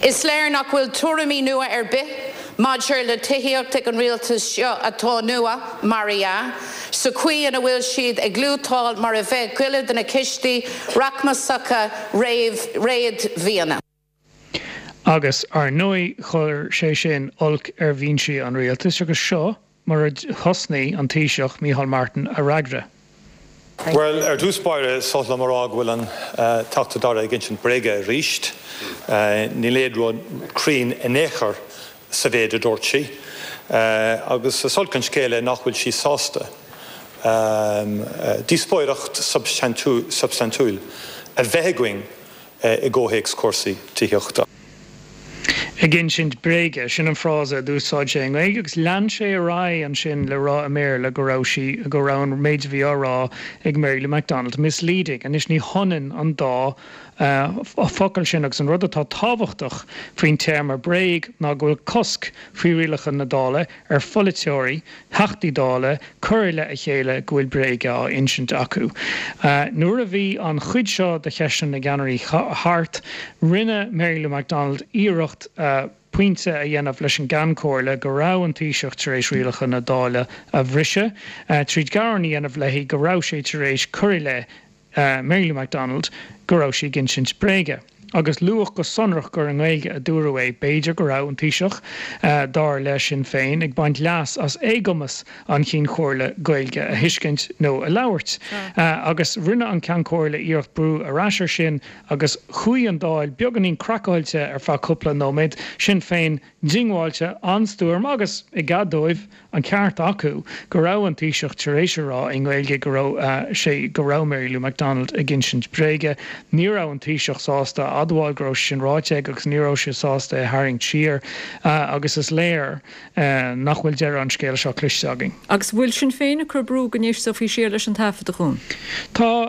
Is léir nach bhfuil tuairimí nua ar bith maidir le tithíocht ag an rialtas seo atá nua, mar dhea, sa chaoi ina bhfuil siad ag lútáil mar a bheadh goile de na cistí rachmasacha réadmhaoine. Agus, ar ndóigh, chuir sé sin olc ar bhinsí an rialtais agus seo mar a thosnaigh an Taoiseach, Micheál Martin, a fhreagra. Bhuel, ar dtús báire, is oth liom a rá go bhfuil an Teachta Dála ag insint bréige arís. Níl aon rud cruinn in aon chor sa mhéid a dúirt sí. Agus is olc an scéal é nach bhfuil sí sásta díospóireacht substaintiúil a bheith againn i gcomhthéacs cúrsaí tithíochta. Ag insint bréige, sin an frása a d'úsáid sé i nGaeilge agus lean sé ar aghaidh ansin le rá i mBéarla go raibh sí, go raibh an méid a bhí á rá ag Mary Lou McDonald misleading. Anois ní hionann an dá focal sin agus an rud atá tábhachtach faoin téarma bréag ná go bhfuil cosc faoi rialacha na Dála ar pholaiteoirí, Theachtaí Dála, cur i leith a chéile go bhfuil bréaga á insint acu. Nuair a bhí an chuid seo de cheisteanna na gceannairí thart, rinne Mary Lou McDonald iarracht pointe a dhéanamh leis an gCeann Comhairle go raibh an Taoiseach tar éis rialacha na Dála a bhriseadh, tríd gearán a dhéanamh léi go raibh sé tar éis cur i leith Mary Lou McDonald go raibh sí ag insint bréige. Agus luadh go sonrach gur i nGaeilge a dúradh é. B'fhéidir go raibh an Taoiseach, dar le Sinn Féin, ag baint leas as éagumas an Chinn Chomhairle Gaeilge a thuiscint nó a labhairt. Agus rinne an Ceann Comhairle iarracht brú ar ais air sin agus chuaigh an Dáil beagáinín craiceáilte ar feadh cúpla nóiméad. Sinn Féin diongbháilte, an-stuaim agus, i gcead dóibh, an ceart acu go raibh an Taoiseach tar éis a rá i nGaeilge go raibh sé go raibh Mary Lou McDonald ag insint bréige. Ní raibh an Taoiseach sásta a admháil go raibh sé sin ráite aige agus ní raibh sé sásta é a tharraingt siar agus is léir nach bhfuil deireadh an scéil seo cloiste againn. Agus bhfuil Sinn Féin ag cur brú go n-éisteofaí siar leis an taifead, a Chuain? Tá.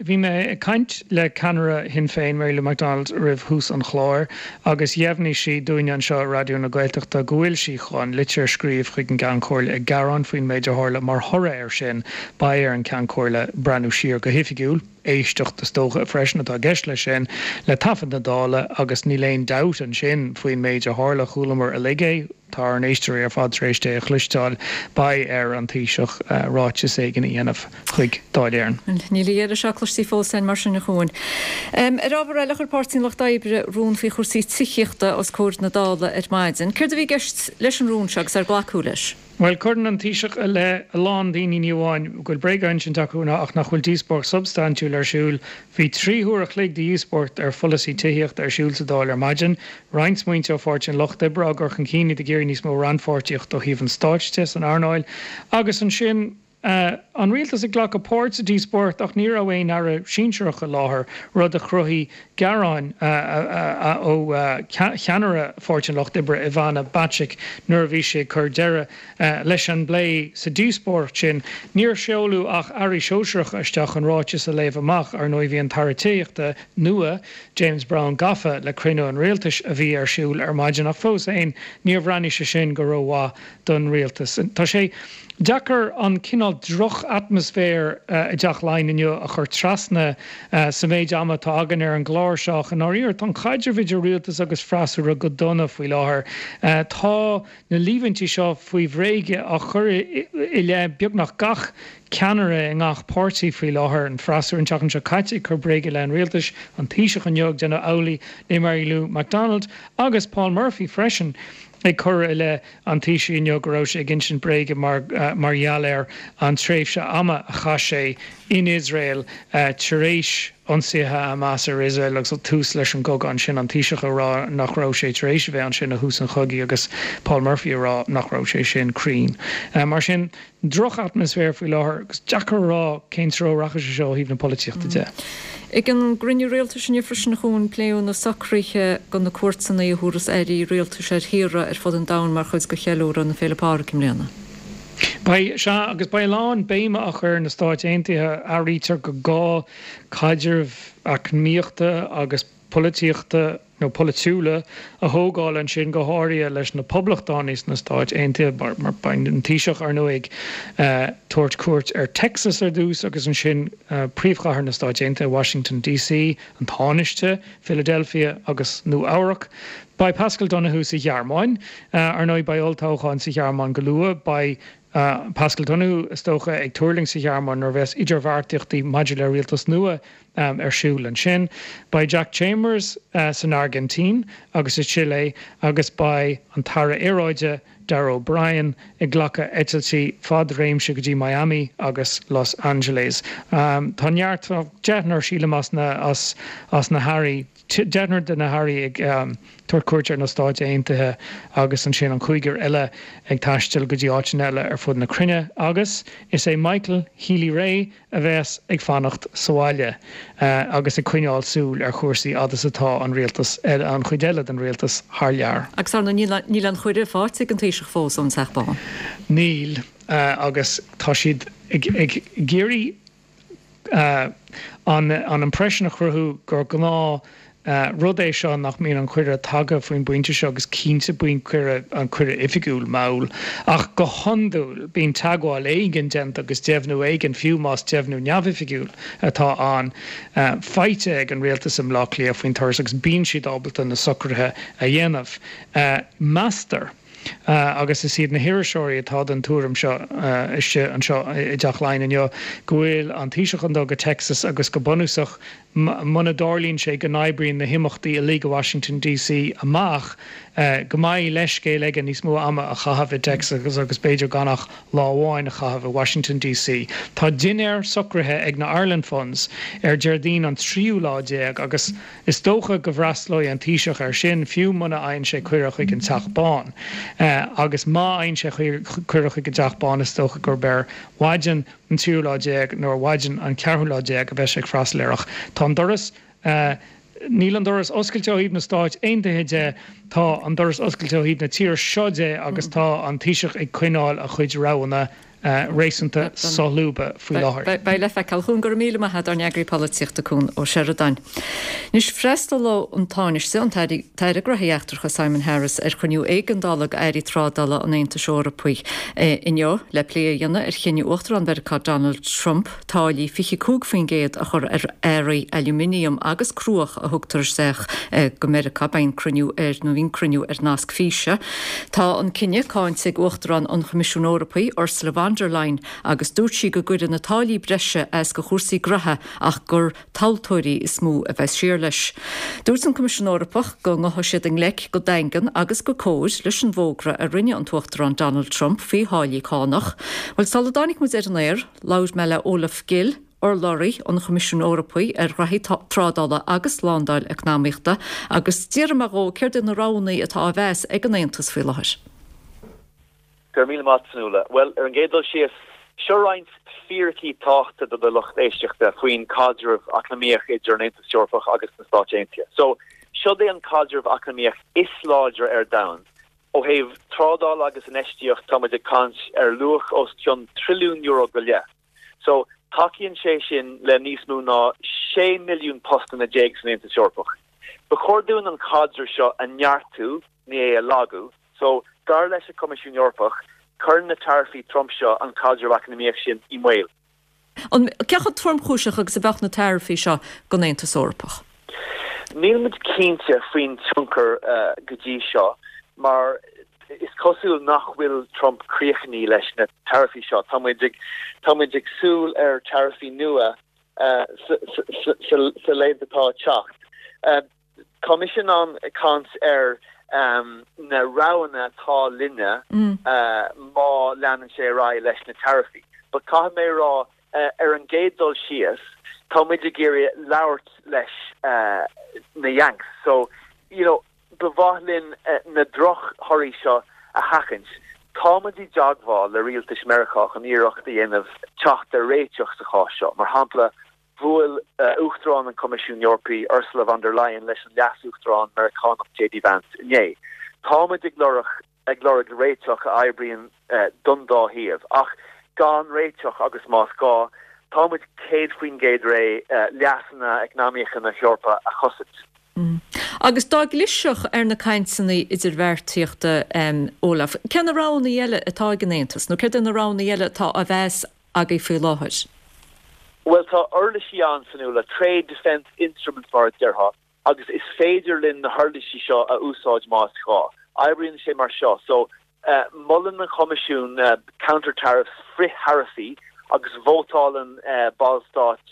Bhí mé ag caint le ceannaire Shinn Féin, Mary Lou McDonald, roimh thús an chláir agus dheimhnigh sí dúinne anseo i Raidió na Gaeltachta go bhfuil sí chun litir a scríobh chuig an gCeann Comhairle ag gearán faoin méid a tharla. Mar thoradh air sin, beidh ar an gCeann Comhairle breathnú siar go hoifigiúil éisteacht is dócha freisin atá i gceist leis sin, le taifead na Dála agus níl aon dabht ansin faoin méid a tharla, chualamar uilig é, tá ár n-éisteoirí ar fad tar éis é a chloisteáil, beidh ar an Taoiseach ráiteas éigin a dhéanamh chuig Dáil Éireann. Níl a dheireadh seo cloiste fós againn mar sin a Chuain. Ar ábhar eile, chuir Páirtí an Lucht Oibre rún faoi chúrsaí tithíochta os comhair na Dála ar maidin. Céard a bhí i gceist leis an rún seo agus ar glacadh leis? Bhuel, cuireann an Taoiseach i leith a lán daoine ní amháin go bhfuil bréag á insint acu ach nach bhfuil díospóireacht substaintiúil ar siúl. Bhí trí huair a chloig de dhíospóireacht ar pholasaí tithíochta ar siúl sa Dáil ar maidin. Roinnt smaointe ó Pháirtí an Lucht Oibre á gcur chun cinn, iad ag iarraidh níos mó rannpháirtíocht ó thaobh an stáit de san earnáil. Agus ansin an rialtas ag glacadh páirt sa díospóireacht ach ní raibh aon aire sinsearach i láthair, rud a chruthaigh gearáin ó cheannaire Pháirtí an Lucht Oibre, Ivana Bacik, nuair a bhí sí ag cur deireadh leis an bplé sa díospóireacht sin. Níor seoladh ach airí sóisearacha isteach chun ráiteas a léamh amach. Ar ndóigh bhí an tAire Tithíochta nua, James Browne gafa le cruinniú an rialtais a bhí ar siúl ar maidin ach fós féin níor bhreathnaigh sé sin go rómhaith don rialtas. Tá sé deacair an cineál droch-atmaisféar i dTeach Laighean inniu a chur trasna sa mhéid ama atá againn ar an gclár seo ach i ndáiríre tá an caidreamh idir rialtas agus freasúra go dona faoi láthair. Tá na líomhaintí seo faoi bhréige á chur i leith beagnach gach ceannaire i ngach páirtí faoi láthair, an freasúra an tseachtain seo caite ag cur bréige i leith an rialtais, an Taoiseach inniu ag déanamh amhlaidh le Mary Lou McDonald agus Paul Murphy freisin. ag cur i leith an Taoisigh inniu go raibh sé ag insint bréige mar mar gheall ar an tréimhse ama a chaith sé in Iosrael tar éis ionsaithe Hamas ar Iosrael agus tús leis an gcogadh ansin, an Taoiseach ag rá nach raibh sé tar éis a bheith ansin ó thús an chogaidh agus Paul Murphy ag rá nach raibh sé sin cruinn. Mar sin, droch-atmaisféar faoi láthair agus deacair a rá cén treo a rachaidh sé seo ó thaobh na polaitíochta de. Ag an gcruinniú rialtais inniu freisin a Chuain, pléadh na socruithe do na cuairteanna a thabharfas airí rialtais ar thíortha ar fud an domhain mar chuid de cheiliúradh na Féile Pádraig i mbliana. Beidh, sea, agus beidh a lán béime á chur ar na Stáit Aontaithe. Airítear gur gá caidreamh eacnamaíochta agus polaitíochta nó polaitiúla a thógáil ansin, go háirithe leis na Poblachtánaigh sna Stáit Aontaithe, mar beidh an Taoiseach, ar ndóigh, ag tabhairt cuairt ar Texas ar dtús agus ansin príomhchathair na Stáit Aontaithe, Washington DC, an Tánaiste, Philadelphia agus Nua Eabhrac. Beidh Paschal Donohoe sa Ghearmáin. Ar ndóigh, beidh olltoghchán sa Ghearmáin go luath. Beidh Paschal Donohoe, is dócha, ag tuirlingt sa Ghearmáin nuair a bheas idirbheartaíochtaí maidir le rialtas nua ar siúl ansin. Beidh Jack Chambers san Airgintín agus sa tSile agus beidh an tAire Aeráide, Darragh O'Brien, ag glacadh eitiltí fad-réimse go dtí Miami agus Los Angeles. Tá neart, deichniúr sílim as na as na hairí, deichniúr de na hairí ag tabhairt cuairt ar na Stáit Aontaithe agus ansin an cúigear eile ag taisteal go dtí áiteanna eile ar fud na cruinne agus is é Michael Healy-Rae a bheas ag fanacht sa bhaile agus ag coinneáil súil ar chúrsaí fhad is atá an rialtas, an chuid eile den rialtas thar lear. Agus ar ndóigh níl an cuireadh faighte ag an Taoiseach fós ón Teach Bán. Níl agus tá siad ag iarraidh an impression a chruthú gur gnáth rud é seo nach mbíonn an cuireadh tagtha faoin bpointe seo agus cinnte bíonn cuireadh, an cuireadh oifigiúil, mall. Ach go hiondúil bíonn teagmháil éigin déanta agus deimhniú éigin, fiú más deimhniú neamhoifigiúil atá ann, faighte ag an rialtas i mBleá Cliath faoin turas agus bíonn siad ábalta na socruithe a dhéanamh. Meastar. Agus is iad na hiriseoirí atá den tuairim seo istigh anseo i dTeach Laighean inniu, go bhfuil an Taoiseach chun dul go Texas agus go bunúsach muna dtarlaíonn sé go n-oibríonn na himeachtaí uilig i Washington DC amach, go mbeidh leithscéal aige níos mó ama a chaitheamh i dTexas agus b'fhéidir gan ach lá amháin a chaitheamh i Washington DC. Tá dinnéar socraithe ag na Ireland Funds ar Déardaoin an tríú lá déag agus Is dócha go bhfreastalóidh an Taoiseach air sin, fiú muna fhaigheann sé cuireadh chuig an Teach Bán. Agus má fhaigheann sé cuireadh chuig an dTeach Bán, is dócha gurb ar mhaidin an tríú lá déag nó ar mhaidin an ceathrú lá déag a bheidh sé ag freastal air. Ach tá an doras, níl an doras oscailte ó thaobh na Stáit Aontaithe de, tá an doras oscailte ó thaobh na tíre seo de agus tá an Taoiseach ag coinneáil a chuid roghanna Réasúnta solúbtha faoi láthair. Beidh le feiceáil. Cuan, go raibh míle maith agat, ár n-eagraí polaitíochta Cuan Ó Seireadáin. Anois freastalóidh an Tánaiste, an tAire Gnóthaí Eachtracha Simon Harris ar chruinniú éigeandála d'airí trádála an Aontais Eorpaigh inniu le plé a dhéanamh ar chinneadh Uachtarán Mheiriceá Donald Trump táillí fiche cúig faoin gcéad a chur ar earraí aluminium agus cruach a thugtar isteach go Meiriceá. Beidh an cruinniú ar nó bhí an cruinniú ar nasc físe. Tá an cinneadh cáinte ag Uachtarán an Choimisiúin Eorpaigh Ursula von der Leyen agus dúirt sí go gcuirfidh na táillí breise as do chúrsaí graithe ach gur tomhaltóirí is mó a bheas siar leis. Dúirt an Coimisiún Eorpach go ngabhfaidh siad i ngleic go daingean agus go cóir leis an bhfógra a rinne an tUachtarán Donald Trump faoi tháillí cánach. Bhuel sula dtáinig muid ar an aer, labhair mé le Olaf Gill, urlabhraí an Choimisiúin Eorpaigh ar ghraithí trádála agus slándáil eacnamaíochta agus d'iarr mé dhó céard iad na roghanna atá á mheas ag an Aontas faoi láthair. Go raibh míle maith agat, Fionnuala. Bhuel, ar an gcéad dul síos, seo roinnt fíricí tábhachtacha do do lucht éisteachta faoin caidreamh eacnamaíoch idir an Aontas Eorpach agus na Stáit Aontaithe. So, seod é an caidreamh eacnamaíoch is láidre ar domhan. Ó thaobh trádála agus infheistíocht tá muid ag caint ar luach os cionn trilliún euro go leith. So, tacaíonn sé sin le níos mó ná sé milliún postanna déag san Aontas Eorpach. Ba chóir dúinn an caidreamh seo a neartú, ní é a lagú. So, dar leis an Coimisiún Eorpach, cuireann na taraifí Trump seo an caidreamh eacnamaíoch sin i mbaol. An cé chomh tromchúiseach agus a bheadh na taraifí seo don Aontas Eorpach? Níl muid cinnte faoin tionchar go dtí seo, mar is cosúil nach bhfuil Trump críochnaithe leis na taraifí seo. Tá muid ag tá muid ag súil ar taraifí nua sa laethanta atá ag teacht. Tá mise in ann caint ar na roghanna atá linne má leanann sé ar aghaidh leis na taraifí. But caithfidh mé a rá ar an gcéad dul síos, tá muid ag iarraidh labhairt leis na Yanks. So, you know, ba mhaith linn na drochthorthaí seo a sheachaint. Tá muid i dteagmháil le rialtas Meiriceá chun iarracht a dhéanamh teacht ar réiteach sa chás seo. Mar shampla, bhuail Uachtarán an Choimisiúin Eorpaigh Ursula von der Leyen leis an Leas-Uachtarán Meiriceánach J D Vance inné. Táimid ag lorg ag lorg réiteach a oibríonn don dá thaobh, ach gan réiteach agus más gá, táimid céad faoin gcéad réidh leasanna eacnamaíocha na hEorpa a chosaint. Agus dá gclisfeadh ar na cainteanna idirbheartaíochta, Olaf, cé na roghanna eile atá ag an Aontas, nó céard é na roghanna eile atá á mheas agaibh faoi láthair? Bhuel, tá uirlisí ann, Fionnuala, Trade Defence Instruments mar a déarfá, agus is féidir linn na huirlisí seo a úsáid más gá. Oibríonn sé mar seo, so molann an Coimisiún counter tariffs frith-tharaifí agus vótálann ballstáit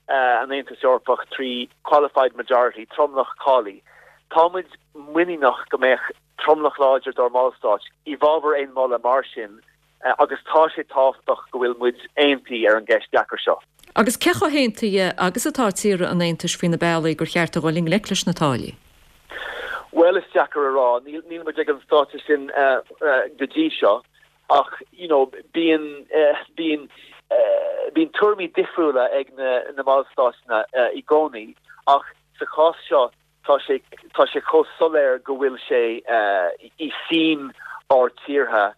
an Aontais Eorpach trí qualified majority, tromlach cáilithe. Táimid muiníneach go mbeadh tromlach láidir dár mballstáit i bhfabhar aon mholadh mar sin agus tá sé tábhachtach go bhfuil muid aontaithe ar an gceist deacair seo. Agus cé chomh haontaithe agus atá tíortha an Aontais faoi na bealaí gur cheart a dhul i ngleic leis na táillí? Bhuel is deacair a rá, níl níl muid ag an stáitse sin go dtí seo ach you know bíonn bíonn bíonn tuairimí difriúla ag na na ballstáit i gcónaí ach sa chás seo tá sé tá sé chomh soiléir go bhfuil sé i suim ár tíortha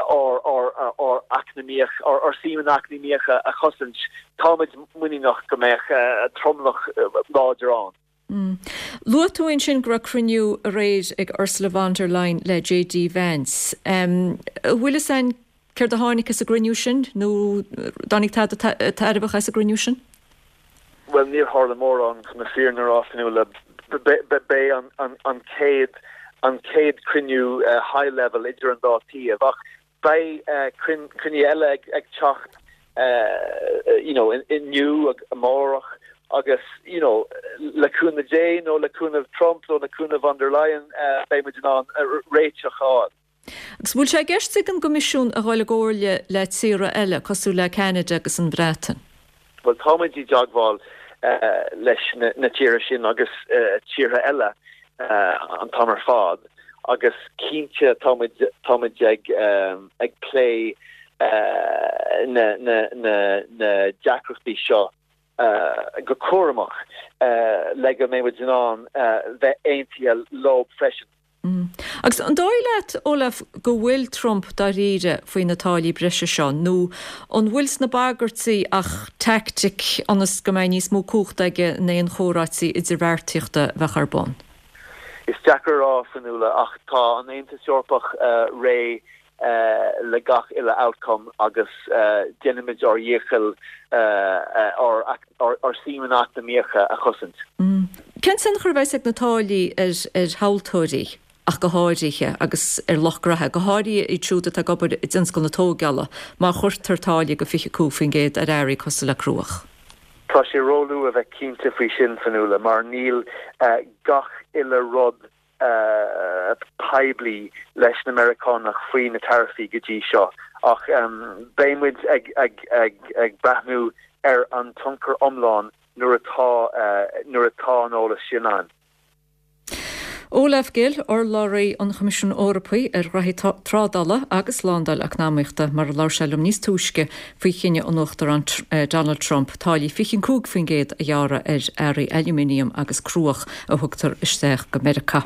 ár ár ár eacnamaíoch ár suíomhanna eacnamaíocha a chosaint, táimid muiníneach go mbeadh tromlach láidir ann. Mm. Luaigh tú ansin go raibh cruinniú aréir ag Ursula von der Leyen le J D Vance. Um, bhfuil fhios againn céard a tháinig as an gcruinniú sin nó dtáinig tada tairbheach as an gcruinniú sin? Well níor tharla mórán chun na fírinne a rá, Fionnuala b'é an chéad an chéad cruinniú uh, high level idir an dá taobh ach beidh uh, cruinnithe eile ag, ag teacht uh, you know, inniu amárach agus you know, le cúnamh Dé nó le cúnamh Trump nó le cúnamh von der Leyen uh, beidh muid in ann uh, réiteach a fháil. Agus bhfuil sé i gceist ag an gCoimisiún a dhul i gcomhairle le tíortha eile cosúil le Canada agus an Bhreatain. Well táimid i dteagmháil uh, leis na, na tíortha sin agus uh, tíortha eile uh, an t-am ar fad agus cinnte táimid táimid ag um, ag plé uh, na, na, na, na deacrachtaí seo uh, go cúramach uh, le go mbeidh muid in ann uh, bheith aontaithe leo freisin. Agus an dóigh leat, Olaf, go bhfuil Trump dáiríre faoi na táillí breise seo, nó an bhfuil sna bagairtí ach teaictic ionas go mbeidh níos mó cumhachta aige in aon chomhráití idirbheartaíochta a bheadh ar bun? Is deacair a rá, Fionnuala, ach tá an Aontas Eorpach réidh le gach uile outcome agus déanfaimid ár ndícheall ár suímeanna eacnamaíocha a chosaint. Cén tionchar a bheas ag na táillí ar thomhaltóirí ach go háirithe agus ar lucht graithe, go háirithe iad siúd atá ag obair i dtionscal na tógála, má chuirtear táille de fiche cúig faoin gcéad ar earraí cosúil le cruach? Tá sé róluath a bheith cinnte faoi sin, Fionnuala, mar níl gach uile rud poiblí leis na Meiriceánach faoi na taraifí go dtí seo ach beidh muid ag ag breathnú ar an tionchar iomlán nuair atá nuair atá an eolas sin ann. Olaf Gill, urlabhraí an Choimisiúin Eorpaigh ar ghraithí trádála agus slándáil eacnamaíochta, mar a labhair sé liom níos túisce faoi chinneadh an Uachtaráin Donald Trump táillí fiche cúig faoin gcéad a ghearradh ar earraí ailúminiam agus cruach a thugtar isteach go Meiriceá.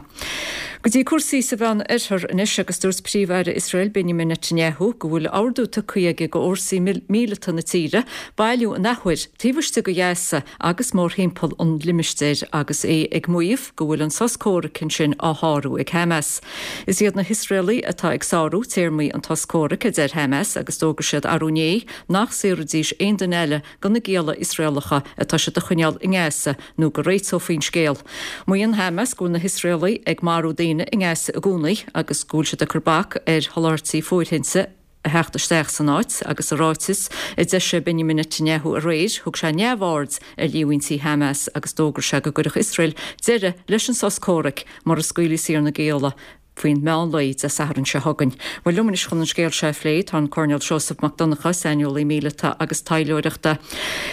Go dtí cúrsaí sa Mheán Oirthear anois agus dúirt Príomh-Aire Iosrael Benjamin Netanyahu go bhfuil ordú tugtha aige go fhórsaí míleata na tíre bailiú an athuair taobh istigh de Ghaza agus mórthimpeall an limistéir agus é ag maíomh go bhfuil an sos comhraic ansin á shárú ag Hamas. Is iad na hIosraelaigh atá ag sárú téarmaí an tsos comhraic, a deir Hamas, agus d'fhógair siad arú inné nach saorfaidís aon duine eile de na gialla Iosraelacha atá siad a choinneáil i nGaza nó go réiteofaí an scéal. Maíonn Hamas go bhfuil na hIosraelaigh ag marú daoine i nGaza i gcónaí agus go bhfuil siad ag cur bac ar sholáthairtí fóirithinte a theacht isteach san áit agus i ráiteas a d'eisigh Benjamin Netanyahu aréir, thug sé neamhaird ar líomhaintí Hamas agus d'fhógair sé go gcuirfeadh Iosrael deireadh leis an sos comhraic mura scaoilfí saor na gialla faoin meán lae Dé Sathairn seo chugainn. Bhuel, liom anois chun an scéal seo a phlé tá an Coirnéal Seosamh Mac Donncha, saineolaí míleata agus taidhleoireachta.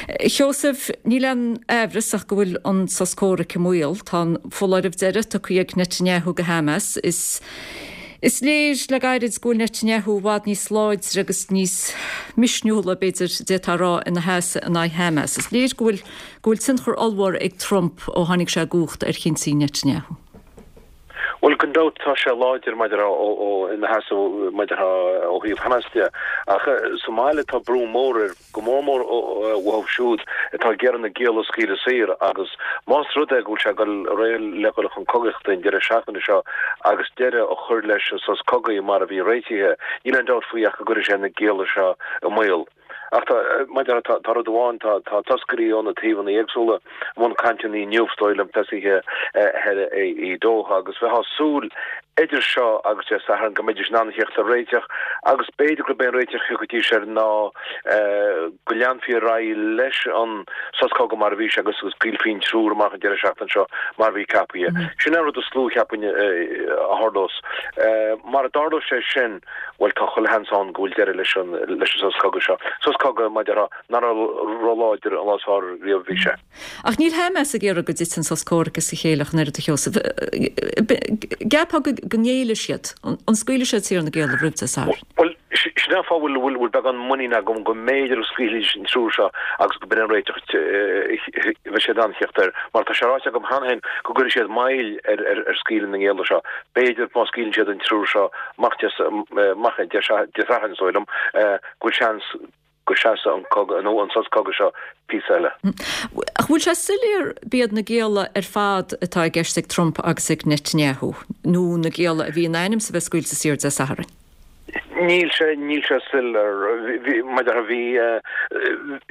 A Sheosaimh, níl aon aimhreas ach go bhfuil an sos comhraic i mbaol. Tá an foláireamh deiridh tugtha ag Netanyahu go Hamas. Is Is léir le gairid go bhfuil Netanyahu i bhfad níos láidre agus níos misniúla, b'fhéidir, d'fhéadfá a rá, ina sheasamh in aghaidh Hamas. Is léir go bhfuil go bhfuil tionchar ollmhór ag Trump ó tháinig sé i gcumhacht ar chinntí Netanyahu. Bhuel, gan dabht tá sé láidir maidir ó ina sheasamh maidir ó thaobh Hamas de, ach sa mbaile tá brú mór air, go mór mór uathu siúd atá ag iarraidh na gialla a scaoileadh saor agus más rud é go bhfuil sé ag dul ar aghaidh le dhul chun cogaíochta an deireadh seachtaine seo agus deireadh a chur leis an sos cogaidh mar a bhí réitithe, níl aon dabht faoi ach go gcuirfidh sé na gialla seo i mbaol. Ach tá, maidir, tá, tá rud amháin, tá, tá toscairí ó na taobhanna éagsúla i mbun cainteanna inniu, is dóigh liom, tosaithe thoir i Doha agus bheifeá ag súil idir seo agus Dé Sathairn go mbeidís in ann a theacht ar réiteach agus b'fhéidir gurb é an réiteach a thiocfaidís air ná go leanfaí ar aghaidh leis an sos cogaidh mar a bhí sé agus go scaoilfí an triúr amach an deireadh seachtaine seo mar a bhí ceapaithe. Sin é an rud is lú, cheapfainn, a tharlós. Mara dtarlós sé sin, bhuel, tá chuile sheans ann go bhfuil deireadh leis an leis an sos cogaidh seo. Sos cogaidh, mar a déarfá, nach raibh róláidir an lá is fearr riamh a bhí sé. Ach níl Hamas ag iarraidh go dtitfidh an sos comhraic as a chéile ach an oiread, a Sheosaimh. Gceapfá go ngéillfidh siad? An scaoilfidh siad saor na gialla roimh Dé Sathairn? Bhuel, sin é an fáth a bhfuil bhfuil beagán muinín agam go mb'fhéidir go scaoilfidís an triúr seo agus go b'in an réiteach a bheidh siad in ann a theacht air. Mar tá sé ráite agam cheana féin go gcuirfidh siad moill ar ar scaoileadh na ngialla seo. B'fhéidir má scaoileann siad an triúr seo amach amach Dé Sathairn, is dóigh liom go bhfuil seans go seasfaidh an cogadh nó an sos cogaidh seo píosa eile. Ach bhfuil sé soiléir b'iad na gialla ar fad atá i gceist ag Trump agus ag Netanyahu, nó na gialla a bhí in ainm is a bheith scaoilte saor Dé Sathairn? Níl sé, níl sé soiléir. Bhí, mar a déarfá, bhí,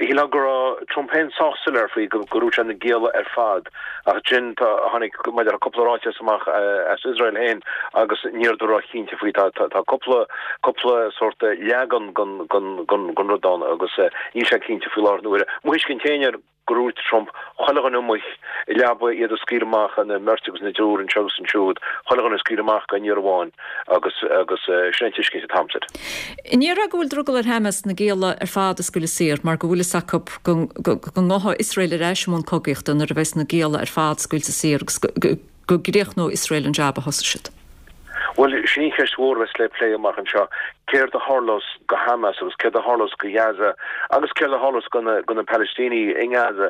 shílfeá go raibh Trump féin sách soiléir faoi go ndúirt sé na gialla ar fad ach ansin tá, tháinig, mar a déarfá, cúpla ráiteas amach as Iosrael féin agus ní rabhadar róchinnte faoi. Tá, tá cúpla, cúpla sórt leagan den, den, den, den rud ann agus níl sé cinnte faoi láthair na huaire. Mo thuiscint féin air, gur dhúirt Trump chuile dhuine amuigh i leaba iad a scaoileadh amach ina mbeirt agus ina dtriúr anseo agus ansiúd, chuile dhuine a scaoileadh amach gan iarraidh amháin agus agus sin an tuiscint atá agamsa air. An ndéarfá go bhfuil drogall ar Hamas na gialla ar fad a scaoileadh saor mar go bhfuil fhios acu go go ngabhfaidh Iosrael ar ais i mbun cogaíochta nuair a bheas na gialla ar fad scaoilte saor agus go gcríochnóidh Iosrael an jab a thosaigh siad? Bhuel, sin í an cheist mhór a bheas le plé amach anseo, céard a tharlós go Hamas agus céard a tharlós go Gaza agus céard a tharlós go na Palaistínigh i nGaza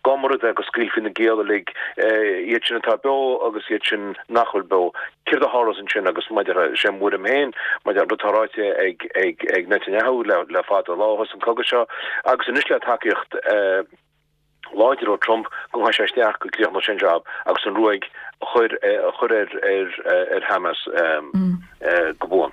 dá mba rud é go scaoilfí na gialla uilig, iad sin atá beo agus iad sin nach bhfuil beo. Céard a tharlós ansin agus maidir, sé mo thuairim féin, maidir an rud atá ráite ag ag Netanyahu le fada an lá ó thosaigh an cogadh seo agus anois le tacaíocht láidir ó Trump go ngabhfaidh sé isteach go gcríochnóidh sé an jab agus an ruaig a chur a chur ar ar ar Hamas go buan.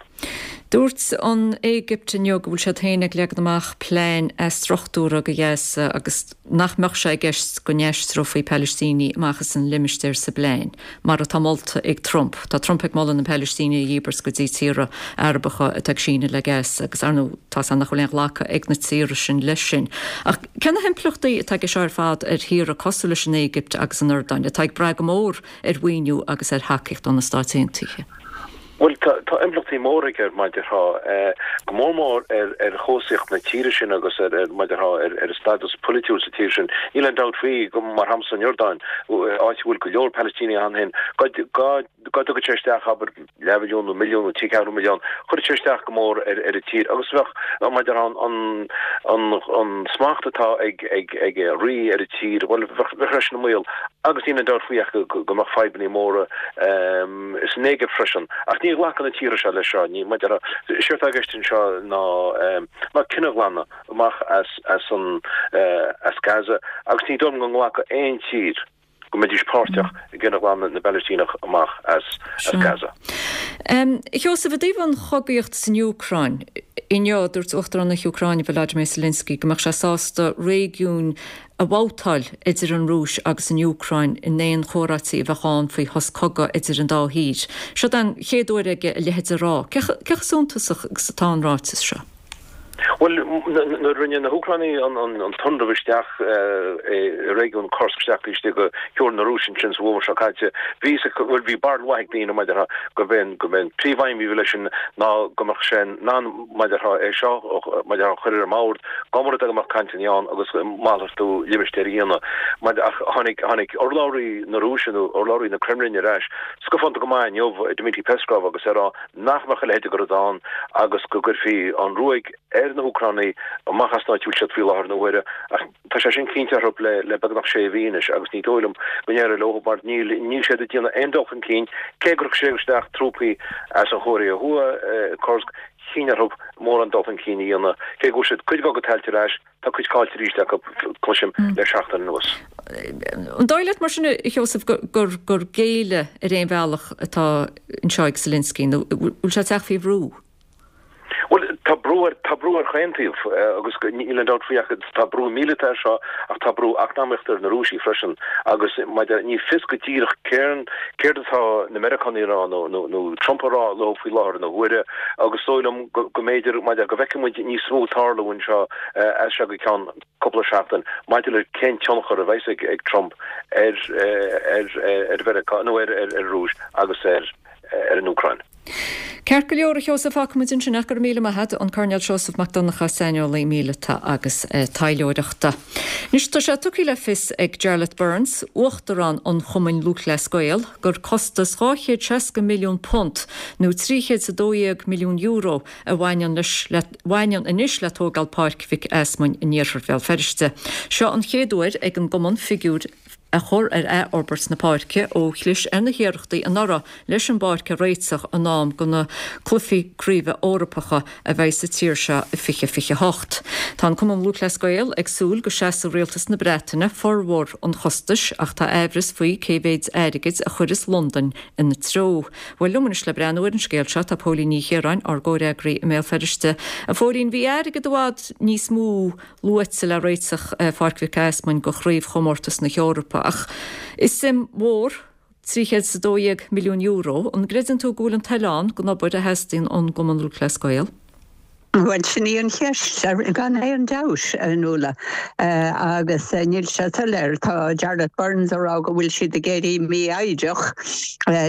Dúirt an Éigipt inniu go bhfuil siad féin ag leagan amach plean athstruchtúrtha do Ghaza agus nach mbeadh sé i gceist go n-aistreofaí Palaistínigh amach as an limistéar sa bplean, mar atá molta ag Trump. Tá Trump ag moladh na Palaistínigh a dhíbirt go dtí tíortha Arabacha atá ag síneadh le Gaza agus ar ndóigh tá a fhios nach bhfuil aon ghlacadh ag na tíortha sin leis sin. Ach cé na himpleachtaí atá aige seo ar fad ar thíortha cosúil leis an Éigipt agus an Iordáin, atá ag brath go mór ar mhaoiniú agus ar thacaíocht ó na Stáit Aontaithe? Bhuel, tá tá impleachtaí móra aige mar a déarfá, go mór mór ar ar chobhsaíocht na tíre sin agus ar ar mar a déarfá ar ar a stádas polaitiúil sa tír sin. Níl aon dabht faoi go mar shampla san Iordáin, áit a bhfuil go leor Palaistínigh ann féin, go go go dtugadh sé isteach abair leathmhilliún nó milliún nó trí ceathrú milliún, chuirfeadh sé isteach go mór ar ar an tír agus bheadh mar a déarfá an an an smacht atá ag ag ag an rí ar an tír, bhuel bheadh bheadh sé sin i mbaol agus níl aon dabht faoi ach go go mbeadh fadhbanna móra san Éigipt freisin. Ach ní ghlacann na tíortha seo leis seo, ní mar a déarfá séard atá i gceist anseo ná ná cineghlanadh amach as as an as Gaza agus ní dóigh liom go nglacfadh aon tír go mbeidís páirteach i gcineghlanadh na bPalaistíneach amach as Gaza. A Sheosaimh, i dtaobh an chogaíocht san Úcráin, inniu dúirt Uachtarán na hÚcráine Volodymyr Zelensky go mbeadh sé sásta réigiúin a bhabhtáil idir an Rúis agus an Úcráin in aon chomhráití a bheadh ann faoi shos cogaidh idir an dá thír. Seo an chéad uair aige a leithéid a rá. Cé chomh suntasach agus atá an ráiteas seo? Bhuel, nuair a rinne na hÚcránaigh an t-ionramh isteach i réigiún Kursk isteach taobh istigh de theorainn na Rúise ansin sa bhfómhar seo caite, bhí bhuel bhí barúil mhaith ag daoine mar a déarfá gurb é gurb é an príomhaidhm a bhí leis sin ná go mbeadh sé in ann mar a déarfá é seo mar a déarfá a chur ar an mbord dá mba rud é go mbeadh cainteanna ann agus malartú limistéir a dhéanamh. Mar ach tháinig tháinig urlabhraí na Rúise nó urlabhraí na Kremlin ar ais scafánta go maith inniu, Dmitry Peskov, agus é ag rá nach mbeadh a leithéid de rud ann agus go gcuirfí an ruaig ar na hÚcránaigh amach as an áit a bhfuil siad faoi láthair na huaire ach tá sé sin cinnte orthu le le beagnach sé mhí anois agus ní dóigh liom go n-éireoidh leo mar níl níl siad ag déanamh aon dul chun cinn cé gur thug siad isteach trúpaí as an Chóiré Thuaidh, Kursk, chinn orthu mórán dul chun cinn a dhéanamh cé go bhfuair siad cuid dá gcuid tailte ar ais. Tá cuid caillte arís acu, cloisim, le seachtain anuas. An dóigh leat mar sin, a Sheosaimh, gur gur géilleadh ar aon bhealach atá anseo ag Zelensky nó bhfuil sé ag teacht faoi bhrú? Bhuel, tá brú ar, tá brú ar chaon taobh agus níl aon dabht faoi ach tá brú míleata air seo ach tá brú eacnamaíochta ar na Rúisigh freisin agus maidir, ní fios go díreach céard, céard atá na Meiriceánaigh a rá nó, nó, nó Trump a rá leo faoi láthair na huaire agus is dóigh liom go, go mb'fhéidir, maidir, go bhfeicfidh muid níos mó tarlú anseo as seo go ceann cúpla seachtain maidir le cén tionchar a bheas ag Trump ar ar Mheiriceá nó ar ar an Rúis agus ar ar an Úcráin. Ceart go leor, a Sheosaimh, fágfaidh muid ansin é. Go raibh míle maith agat, an Coirnéal Seosamh Mac Donncha, saineolaí míleata agus taidhleoireachta. Anois, tá sé tugtha le fios ag Jarlath Burns, Uachtarán an Chumainn Lúthchleas Gael, gur costas dhá chéad seasca milliún punt, nó trí chéad is a dó dhéag milliún euro, a bhaineann leis le bhaineann anois le tógáil Páirc Mhic Easmainn in iarthar Bhéal Feirste. Seo an chéad uair ag an gcumann figiúr a chur ar athfhorbairt na páirce ó chlis ar na hiarrachtaí anuraidh leis an bpáirc a réiteach in am do na Cluichí Craoibhe Eorpacha a bheidh sa tír seo i fiche fiche hocht. Tá an Cumann Lúthchleas Gael ag súil go seasfaidh Rialtas na Breataine formhór an chostais ach tá aimhreas faoi cé mhéid airgid a chuirfeas Londain ina treo. Bhuel, liom anois le breathnú ar an scéal seo tá Póilín Ní Chiaráin, ár gcomhfhreagraí i mBéal Feirste. A Phóilín, bhí airgead i bhfad níos mó luaite le réiteach Pháirc Mhic Easmainn do Chraobhchomórtas na hEorpa ach is suim mhór trí chéad is a dó dhéag milliún euro. An gcreideann tú go bhfuil an toil ann don obair a theastaíonn ón gCumann Lúthchleas Gael? Bhuel, sin í an cheist, gan aon dabht, a Nuala, agus níl sé soiléir. Tá Jarlath Burns ag rá go bhfuil siad ag éirí mífhoighdeach.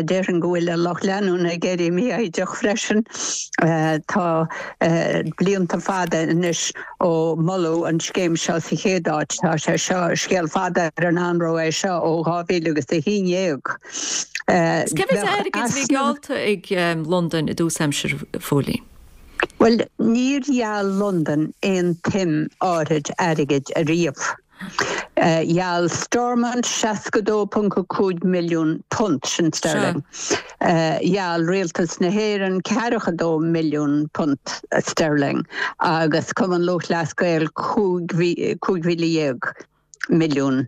Déarfainn go bhfuil an lucht leanúna ag éirí mífhoighdeach freisin. Tá blianta fada anois ó moladh an scéim seo sa chéad áit. Tá sé seo, scéal fada ar an anró é seo ó dhá mhíle agus a haon déag. Cé mhéad airgid a bhí geallta ag Londain i dtús aimsire, a Phóilín? Bhuel, níor gheall Londain aon tsuim áirid airgid ariamh. Gheall Stormont seasca dó ponc a cúig milliún punt, sin sterling. Gheall Rialtas na hÉireann ceathracha dó milliún punt sterling agus Cumann Lúthchleas Gael cúig mhíle dhéag milliún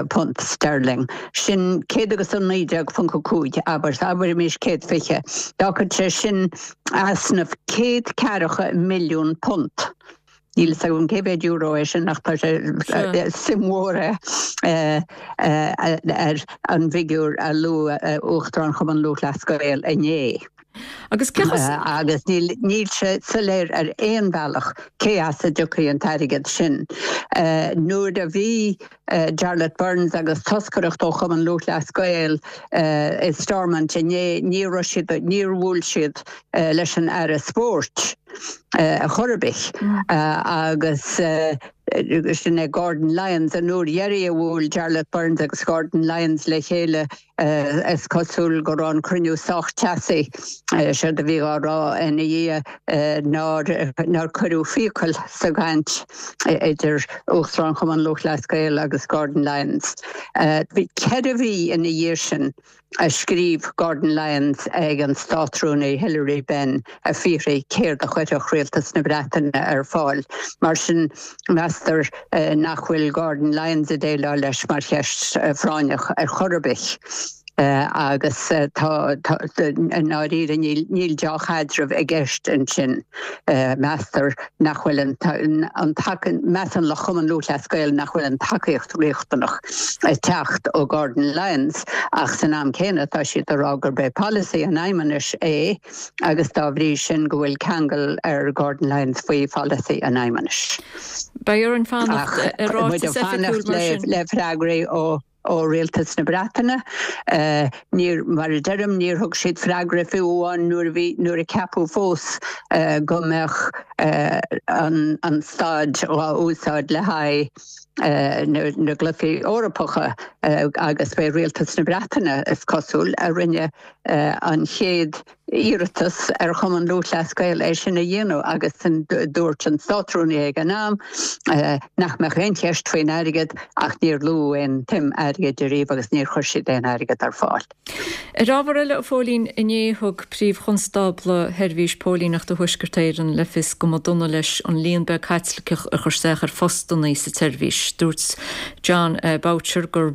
punt sterling. Sin céad agus a naoi déag ponc a cúig, abair, abraimis céad fiche. D'fhágfadh sé sin easnamh céad ceathracha milliún punt. Níl fhios agam cé mhéad euro é sin ach tá sé suim mhór é ar an bhfigiúr a luaigh Uachtarán Chumann Lúthchleas Gael inné. Agus cé chomh. Agus níl sé soiléir ar aon bhealach cé as a dtiocfaidh an t-airgead sin. Nuair a bhí Jarlath Burns agus toscaireacht ó Chumann Lúthchleas Gael i Stormont inné, ní raibh siad, níor bhuail siad leis an Aire Spóirt ar chor ar bith agus sin é Gordon Lyons. An uair dheiridh a bhuail Jarlath Burns agus Gordon Lyons le chéile is cosúil go raibh an cruinniú sách teasaí. Séard a bhí á rá ina dhiaidh nár nár cuireadh fiacail sa gcaint idir Uachtarán Chumann Lúthchleas Gael agus Gordon Lyons. Bhí ceithre mhí ina dhiaidh sin a scríobh Gordon Lyons ag an Státrúnaí Hilary Benn ag fiafraí céard a chuirfeadh Rialtas na Breataine ar fáil. Mar sin, meastar nach bhfuil Gordon Lyons ag déileáil leis mar cheist phráinneach ar chor ar bith. Agus tá, i ndáiríre, níl deá-chaidreamh i gceist ansin. Meastar nach bhfuil an, measann lucht Chumann Lúthchleas Gael nach bhfuil an tacaíocht riachtanach ag teacht ó Gordon Lyons ach san am céanna tá siad ag rá gurb é polasaí an Fheidhmeannais é agus dá bhrí sin go bhfuil ceangal ar Gordon Lyons faoi pholasaí an Fheidhmeannais. Beidh orainn fanacht ar ráiteas oifigiúil mar sin. Le freagraí ó ó Rialtas na Breataine. Níor, mar a deirim, níor thug siad freagra fiú amháin nuair a bhí, nuair a ceapadh fós go mbeadh an an staid á úsáid le haghaidh na na gCluichí Eorpacha agus b'é Rialtas na Breataine, is cosúil, a rinne an chéad iarratas ar Chumann Lúthchleas Gael é sin a dhéanamh agus dúirt an Státrúnaí ag an am nach mbeadh aon cheist faoin airgead ach níor luadh aon tsuim airgid ariamh agus níor chuir siad aon airgead ar fáil. Ar ábhar eile, a Phóilín, inné thug Príomh-Chonstábla Sheirbhís Póilíneachta Thuaisceart Éireann le fios go mba dona leis an líon beag Caitliceach a chuir isteach ar phostanna sa tseirbhís. Dúirt Jon Boutcher gur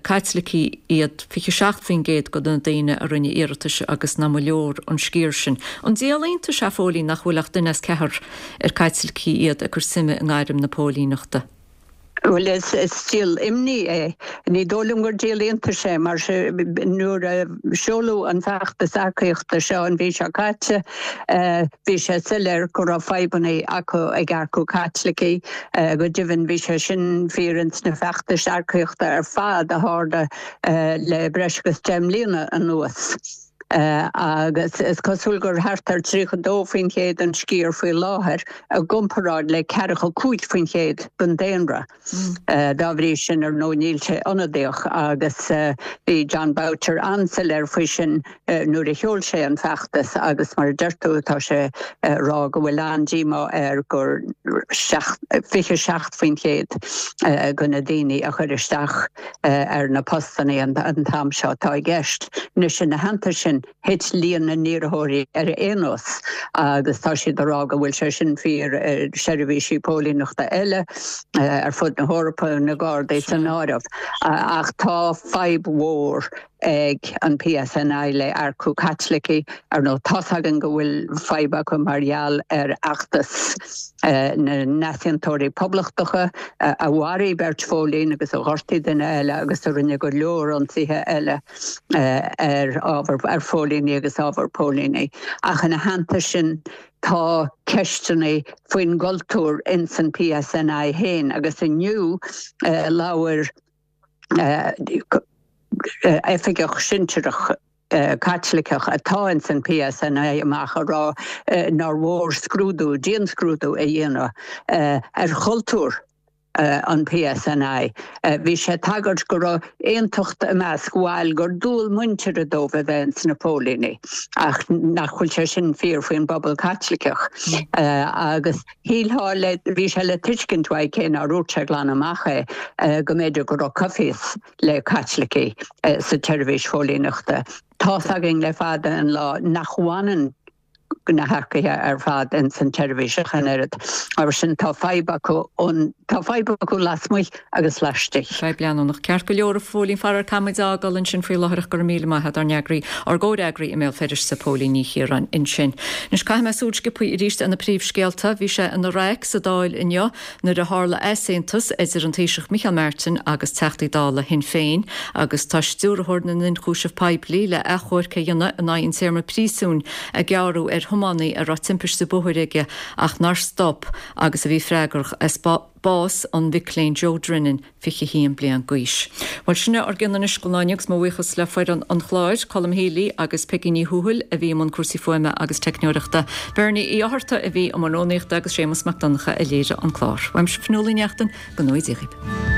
Caitlicigh iad fiche seacht faoin gcéad de na daoine a rinne iarratais agus nach mba leor an sciar sin. An díol iontais é, a Phóilín, nach bhfuil ach duine as ceathrar ar Caitlicigh iad ag cur suime i ngairm na póilíneachta? Bhuel, is díol imní é. Ní dóigh liom gur díol iontais é mar nuair a seoladh an feachtas earcaíochta seo an mhí seo caite, bhí sé soiléir go raibh fadhbanna acu ag earcú Caitlicigh. Go deimhin, bhí sé sin fíor ins na feachtais earcaíochta ar fad a tharla le breis agus deich mbliana anuas. Agus is cosúil gur thart ar tríocha dó faoin chéad an sciar faoi láthair i gcomparáid le ceathracha cúig faoin chéad den daonra. Dá bhrí sin, ar ndóigh, níl sé ionadaíoch agus bhí Jon Boutcher an-soiléir faoi sin nuair a sheol sé an feachtas agus mar a deir tú, tá sé ag rá go bhfuil an-díomá air gur fiche seacht faoin chéad de na daoine a chuir isteach ar na postanna an t-am seo atá i gceist. Anois, ina theannta sin, thit líon na n-iarrthóirí ar aon nós agus tá siad ag rá go bhfuil sé sin fíor i seirbhísí póilíneachta eile ar fud na hEorpa, na Gardaí san áireamh. Ach tá fadhb mhór ag an P S N I le earcú Caitlicigh. Ar ndóigh, tá's againn go bhfuil fadhb acu mar gheall ar fheachtas na n-easaontóirí poblachtacha a mharaigh beirt phóilín agus a ghortaigh duine eile agus a rinne go leor ionsaithe eile ar ábhar, ar phóilíní agus ábhar póilíní. Ach ina theannta sin, Tá ceisteanna faoin gcultúr ins an PSNI féin agus inniu labhair oifigeach sinsearach Caitliceach atá ins an PSNI amach a rá nár mhór scrúdú, dianscrúdú a dhéanamh ar chultúr an PSNI. Bhí sé ag tagairt go raibh aontacht i measc bhaill gur dual muintire dóibh a bheith ins na póilíní, ach nach bhfuil sé sin fíor faoin bpobal Caitliceach. Agus shílfeá le, bhí sé le tuiscint uaidh, cé nár dhúirt sé glan amach é, go mb'fhéidir go raibh coimhthíos le Caitlicigh sa tseirbhís phóilíneachta. Tá's againn le fada an lá nach bhfanann na hearcaithe ar fad ins an tseirbhís ach an oiread. Mar sin tá fadhb acu an, tá fadhb acu lasmuigh agus laistigh. Fadhb leanúnach. Ceart go leor a Phóilín, faraor caithfimid a fhágáil ansin faoi láthair ach go raibh míle maith a'd ár n-eagraí, ár gcomhfhreagraí i mBéal Feirste, Póilín Ní Chiaráin ansin. Anois caithfidh mé súil sciobtha arís ar na príomhscéalta. Bhí sé ina raic sa Dáil inniu nuair a tharla easaontas idir an Taoiseach Micheál Martin agus Teachtaí Dála Shinn Féin agus tá Stiúrthóir na nIonchúiseamh Poiblí le achomharc a dhéanamh in aghaidh an téarma príosúin a gearradh ar thiománaí a raibh timpiste bóthair aige ach nár stop agus a bhí freagrach as bás an mhic léinn Joe Drinnan, fiche a haon bliain d'aois. Bhuel, sin é ár gcion anois don lá inniu agus mo bhuíochas le foireann an chláir, Colm Healy agus Peigí Ní Thuathail a bhí i mbun cúrsaí fuaime agus teicneoireachta, Bernie Uí Fhátharta a bhí i mbun rúnaíochta agus Séamus Mac Donncha a léirigh an clár. Uaimse Fionnuala Ní Neachtain, go ngnóthaí Dia dhaoibh.